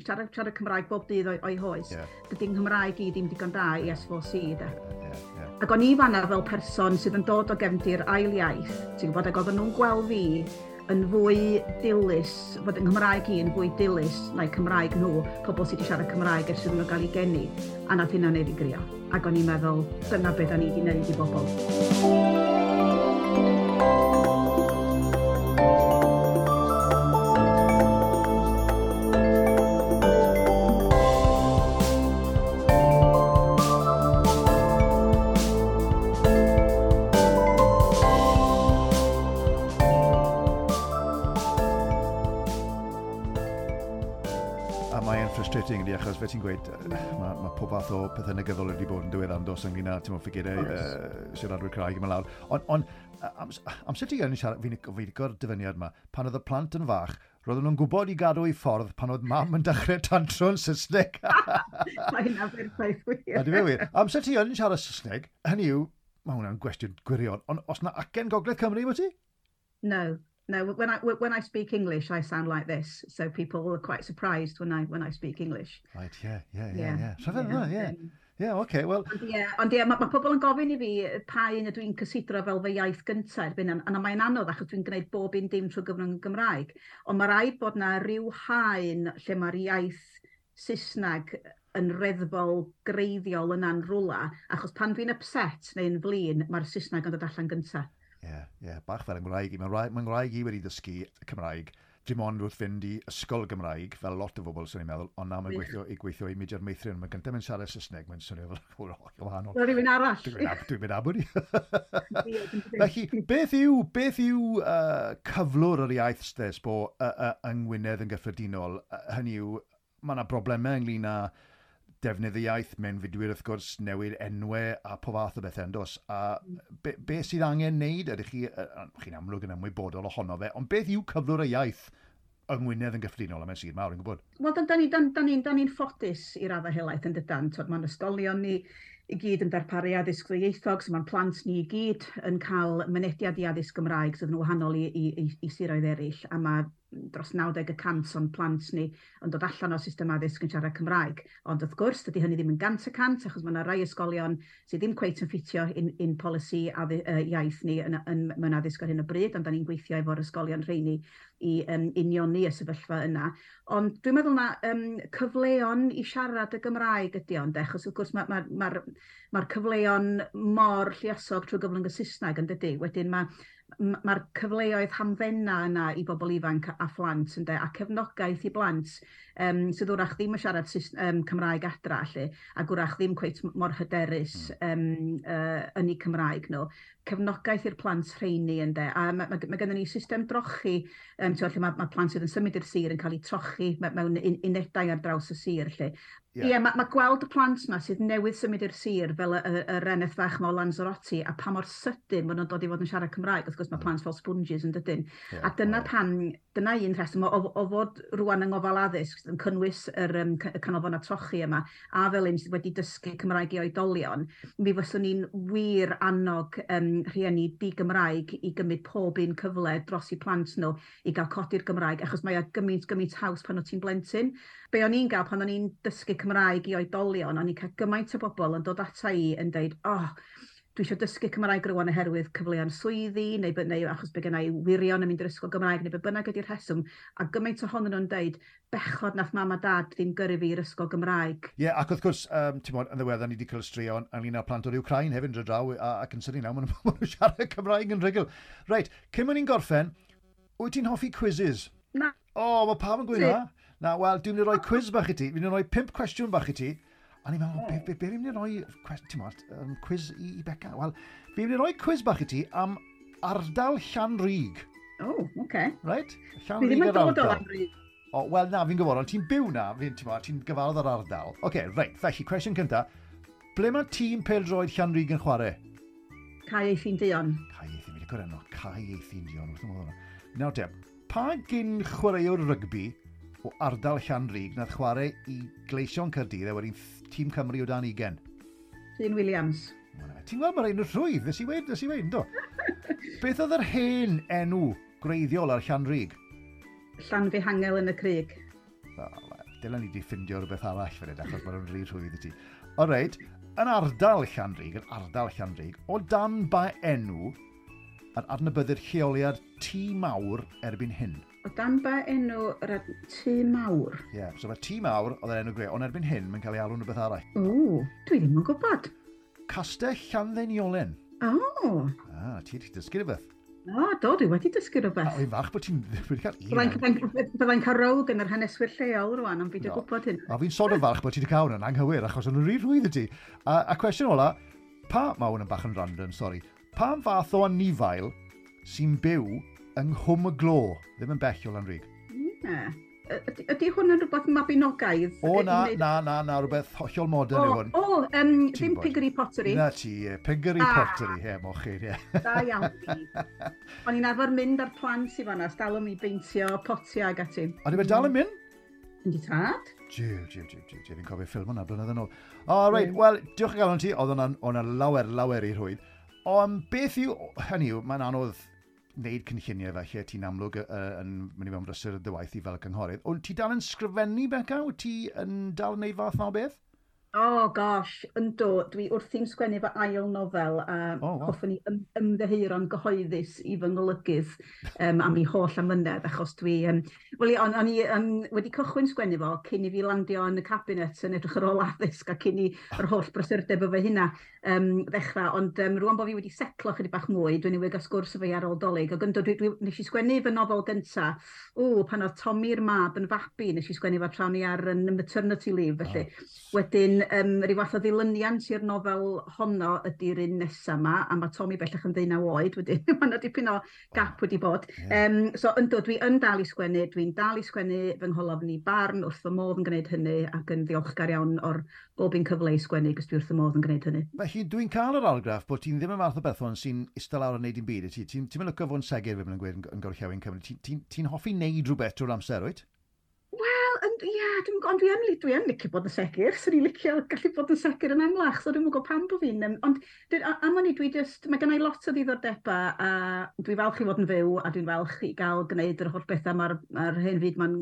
siarad Cymraeg bob dydd o'i hoes, dydy'n Nghymraeg i ddim digon da i S4C, de. Ac o'n i fanna fel person sydd yn dod o gefndir ail iaith, ti'n gwybod, ac oedden nhw'n gweld fi yn fwy dilys, fod yng Nghymraeg i yn fwy dilys na'i Cymraeg nhw, pobl sydd wedi siarad Cymraeg ers iddyn nhw gael eu geni, a nath hynna wneud fi grio. Ac o'n i'n meddwl, dyna beth da ni wedi wneud i bobl. Frustrating ydi, achos fe ti'n gweud, mae pob fath o pethau negyddol wedi bod yn diweddar dos ynglyn â, ti'n ffigurau siaradwyr Cymraeg yma lawr. Ond amser ti yn siarad, fi'n licio'r dyfyniad yma, pan oedd y plant yn fach, roedden nhw'n gwybod i gadw i ffordd pan oedd mam yn dechrau tantro yn Saesneg. Mae hynna'n berffaith wir. A di fe wir. Amser ti yn siarad Saesneg, hynny yw, mae hwnna'n gwestiwn gwirion, ond os na acen Gogledd Cymru, wyt ti? No. No, when I speak English, I sound like this. So people are quite surprised when I speak English. Right, yeah. Rhyfedd yna, yeah. Yeah, okay, well... Ond ie, mae pobl yn gofyn i fi pa un ydw i'n cysidro fel fy iaith gyntaf erbyn hyn, a mae'n anodd achos dwi'n gwneud bob un dim trwy gyfrwng y Gymraeg. Ond mae rhaid bod na ryw haen lle mae'r iaith Saesneg yn reddfol greiddiol yna'n rwla, achos pan dwi'n upset neu'n flin, mae'r Saesneg yn dod allan gyntaf. Ie, bach fel yng Nghymraeg i. Mae'n Nghymraeg i wedi dysgu Cymraeg, dim ond wrth fynd i ysgol Gymraeg, fel lot o bobl sy'n i'n meddwl, ond na mae'n gweithio i Mudiad Meithrin. Mae'n gyntaf mae'n siarad Saesneg, mae'n swnio fel wahanol. Fel rhywun arall. Dwi'n mynd abod i. Felly, beth yw cyflwr yr iaith stes bo yng Ngwynedd yn gyffredinol? Hynny yw, mae yna broblemau ynglyn â defnydd y iaith, mewnfudwyr wrth gwrs, newid enwau a po fath o bethau yn dos. A be sydd angen wneud? Ydych chi'n amlwg yn ymwybodol ohono fe, ond beth yw cyflwr y iaith yng Ngwynedd yn gyffredinol? A mae'n sir mawr yn gwybod. Wel, da ni'n ffodus i raddau helaeth yn dydan. Mae'n ysgolion ni i gyd yn darparu addysg ddwyieithog, so mae'n plant ni i gyd yn cael mynediad i addysg Gymraeg sydd yn wahanol i siroedd eraill, a mae dros 90% o'n plant ni yn dod allan o'r system addysg yn siarad Cymraeg. Ond wrth gwrs, dydy hynny ddim yn 100%, achos mae yna rai ysgolion sydd ddim cweit yn ffitio in polisi iaith ni mewn addysg ar hyn o bryd, ond da ni'n gweithio efo'r ysgolion rheini i unioni y sefyllfa yna. Ond dwi'n meddwl na cyfleon i siarad y Gymraeg ydy ond, achos wrth gwrs mae'r cyfleon mor lluosog trwy gyfrwng y Saesneg yn dydy. Wedyn mae Mae'r cyfleoedd hamddena yna i bobl ifanc a phlant, ynde, a cefnogaeth i blant sydd wrach ddim yn siarad Cymraeg adra, lle, ac wrach ddim cweit mor hyderus yn eu Cymraeg nhw. Cefnogaeth i'r plant rheini, ynde. A mae gennym ni system drochi, lle mae plant sydd yn symud i'r sir yn cael eu trochi mewn unedau ar draws y sir. Lle. Ie, yeah, mae gweld y plant yma sydd newydd symud i'r sir fel yr eneth fach ma o Lanzarote a pa mor sydyn maen nhw'n dod i fod yn siarad Cymraeg. Wrth gwrs, mae plant fel sponges yn dydyn. A dyna pam, dyna un rheswm o fod rwan yng ngofal addysg yn cynnwys y canolfannau trochi yma a fel un sydd wedi dysgu Cymraeg i oedolion, mi fyswn ni'n wir annog rhieni di-Gymraeg i gymryd pob un cyfle dros i plant nhw i gael codi'r Gymraeg, achos mae o gymaint, gymaint haws pan wyt ti'n blentyn. Be o'n i'n gael pan o'n i'n dysgu Cymraeg i oedolion, o'n i'n cael gymaint o bobl yn dod ata i yn deud, "Oh, dwi eisiau dysgu Cymraeg rwan oherwydd cyfleon swyddi, neu achos bod gen i wirion yn mynd i'r ysgol Gymraeg, neu be bynnag ydy'r rheswm," a gymaint ohonyn nhw'n deud, "Bechod nath mam a dad ddim gyrru fi i'r ysgol Gymraeg." Ie, yeah, ac wrth gwrs, ti'n bod, yn ddiweddar ni wedi cael straeon ynglyn â plant o'r Ukraine hefyd yn dod draw, ac yn sydyn nawr, maen nhw'n siarad Cymraeg yn rhugl. Reit, cyn mynd ni'n gorffen, wyt ti'n hoffi quizzes? Na. O, oh, mae pawb yn gweud na. Na, wel, dwi'n mynd i roi quiz bach i ti. Fi'n mynd i roi 5 cwestiwn bach i ti. A ni'n meddwl, be fi'n mynd i roi, ti'n bod, quiz i Beca? Wel, fi'n mynd i roi quiz bach i ti am ardal Llanrug. O, oh, oce. Okay. Right? Llanrug, ddim yn dod o Lanrug. O, wel, na, fi'n gwybod, ond ti'n byw na, ti'n gyfarwydd o'r ardal. Oce, okay, reit, felly, cwestiwn cynta. Ble mae tîm pêl-droed Llanrug yn chwarae? Cae Eithin Duon. Cae Eithin, fi wedi gwrdd enw, Cae Eithin Duon, wrth ymwneud hwnna. Nawr te, pa gyn chwaraewr rygbi o ardal Llanrug nath chwarae i Gleision Caerdydd a wedyn tîm Cymru o dan 20? Rhun Williams. Ti'n gweld, mae'r un o'r rhwydd, nes i weud, do? Beth oedd yr hen enw gwreiddiol ar Llanrug? Llanfihangel yn y Crug. Oh, dylen ni wedi ffindio rhywbeth arall fan hyn, achos mae'n rhy rhwydd i ti. O reit, yn ardal Llanrug, yn ardal Llanrug, o dan ba enw yr adnabyddir lleoliad Tŷ Mawr erbyn hyn? O dan ba enw yr Tŷ Mawr? Ie, yeah, so mae Tŷ Mawr oedd yr enw greu, ond erbyn hyn mae'n cael ei alw'n rhywbeth arall. O, dwi ddim yn gwybod. Castell Llanddeiniolen. O. Ah, ti wedi dysgu rhywbeth. O, do, dwi wedi dysgu rhywbeth. A wy'n falch bod ti'n wedi cael un. Byddai'n cael row gan yr haneswyr lleol rwan, ond fi wedi gwybod hyn. A fi'n sort of falch bod ti wedi cael hwnna'n anghywir, achos o'n nhw'n rhy rhwydd i ti. A cwestiwn ola, pa, mae hwn yn bach yn random, sori, pa fath o anifail sy'n byw yng Nghwm y Glo, ddim yn bell o Lanrug? Ie. Ydy hwn yn rhywbeth mabinogaidd? O, na, na, na, na, rhywbeth hollol modern yw hwn. O, ddim Piggery Pottery. Na ti, Piggery Pottery, he, mochyn, ie. Da iawn fi. O'n i'n arfer mynd ar plant i fanna, stalwm i beintio potiau ag ati. A di fe dal yn mynd? Yndi tad. Jiw, jiw, jiw, jiw, jiw, fi'n cofio ffilm hwnna blynedd yn ôl. O, reit, wel, diolch yn galon ti, oedd hwnna'n lawer, lawer i rhwydd. Ond beth yw, hynny yw, mae'n anodd wneud cynlluniau felly, ti'n amlwg yn mynd i mewn brysur dy waith i fel cynghorydd. Ond ti dal yn sgrifennu, Beca? Wyt ti yn dal yn neud fath na o beth? Oh gosh, yndw, dwi wrthi'n sgwennu fy ail nofel a oh, wow. hoffwn i ymddiheuro'n gyhoeddus i fy ngolygydd am ei holl amynedd, achos dwi, wel, o'n i wedi cychwyn sgwennu fo cyn i fi landio yn y cabinet yn edrych ar ôl addysg a cyn i yr holl brysurdeb efo hynna ddechrau, ond rwan bod fi wedi setlo chydig bach mwy, dwi'n newydd gael sgwrs efo fi ar ôl Dolig, ac yndw, nes i sgwennu fy nofel gynta, o, pan oedd Tommy'r mab yn fabi, nes i sgwennu fo tra o'n i ar yn maternity leave, felly. Oh. Wedyn, rhyw fath o ddilyniant i'r nofel honno ydy'r un nesaf yma, a mae Tommy bellach yn 19 oed wedyn, mae yna dipyn o gap wedi bod. So yndw, dwi yn dal i sgwennu, dwi'n dal i sgwennu fy ngholofn i Barn, wrth fy modd yn gwneud hynny, ac yn ddiolchgar iawn o'r bob un cyfle i sgwennu, cos dwi wrth fy modd yn gwneud hynny. Felly, dwi'n cael yr argraff bod ti'n ddim yn fath o berson sy'n eistedd lawr yn neud dim byd. Ti'n mynd licio fod yn segur, fe yn gweud yn gorllewin Cymru. Ti'n hoffi neud rhywbeth drwy'r amser, wyt? Wel, ie, ond dwi yn licio bod yn segur. Swn i'n licio gallu bod yn segur yn amlach, so dwi'n gwybod pam bod fi'n. Ond am wn i, dwi just, mae gennau lot o ddiddordebau a dwi falch i fod yn fyw a dwi'n falch i gael gwneud yr holl bethau mae'r ma hen fyd ma'n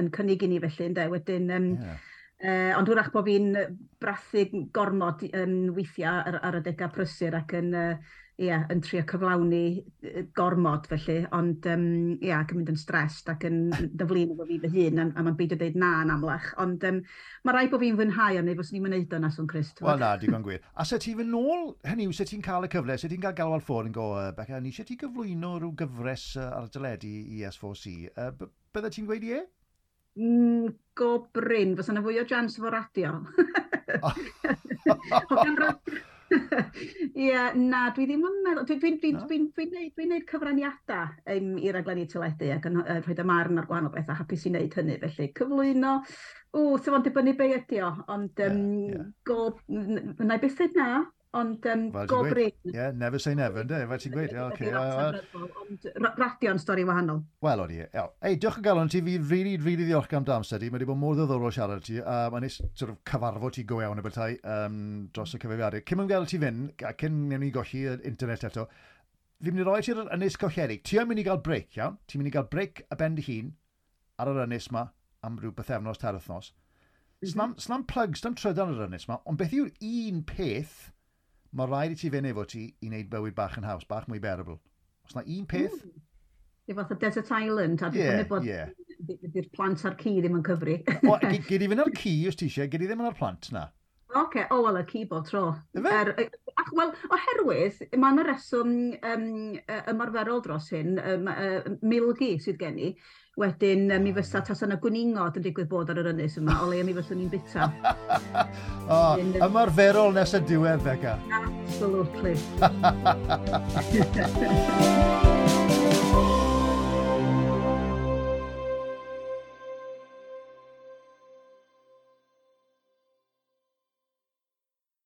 yn cynnig i ni felly, ynde. Wedyn, ond wrach bod fi'n brathu gormod weithiau ar adegau prysur ac yn yeah, yn trio cyflawni gormod felly, ond yeah, ac yn mynd yn stressed ac yn dyflin efo fi fy hun, a mae'n beidio dweud na yn amlach. Ond mae rhaid bod fi'n fwynhau ond neu fyswn i'n wneud o na swn Christ. Wel na, digon gwir. A se ti fynd nôl, hynny yw, se ti'n cael y cyfle, se ti'n cael galwad ffôn yn go, Beca, ni eisiau ti gyflwyno rhyw gyfres ar deledu i S4C, bydde ti'n gweud ie? Go brin, fysa yna fwy o jans efo radio. Hogan radio. Ie, na, dwi ddim yn meddwl. Dwi'n dwi, dwi, dwi, dwi dwi neud cyfraniadau i raglenni teledu ac yn rhoi y marn ar gwahanol bethau, hapus i wneud hynny. Felly, cyflwyno, o, sef o'n dibynnu be ydi o, ond yeah, yeah. Go, na i byth na, ond well, go brin. Yeah, never say never, ynddo? Fel ti'n gweud. Okay, ond radio'n stori wahanol. Wel, o'n i. Ei, diolch yn galon ti. Fi really, really ddiolch am dy amser di. Mae wedi bod mor ddiddorol siarad ti. Mae'n neis sort of cyfarfod ti go iawn y bethau dros y cyfrifiadur. Cyn mynd gael ti fynd, a cyn newn ni golli yr internet eto, fi'n mynd i roi ti'r ynys colledig. Ti yn mynd i gael break, iawn? Ti'n mynd i gael break a ben dy hun ar yr ynys ma am rhyw bythefnos, 3 wythnos. Snam plug, snam trydan ar yr ynys ma, ond beth yw'r un peth mae rhaid i ti fynd efo ti i wneud bywyd bach yn haws, bach mwy bearable? Os na un peth? I fath o Desert Island, a dwi'n bod di'r plant a'r ci ddim yn cyfri. O, gyd i fynd ar ci os ti eisiau, gyd i ddim yn ar plant, na? Oce, okay. O, wel, y ci bob tro. Er, wel, oherwydd, mae yna reswm ymarferol dros hyn, milgi sydd gen i. Wedyn, mi fysa tas yna gwningod yn digwydd bod ar yr ynys yma, o leia mi fyswn i'n bita. O, ymarferol nes y diwedd, Beca. Absolutely.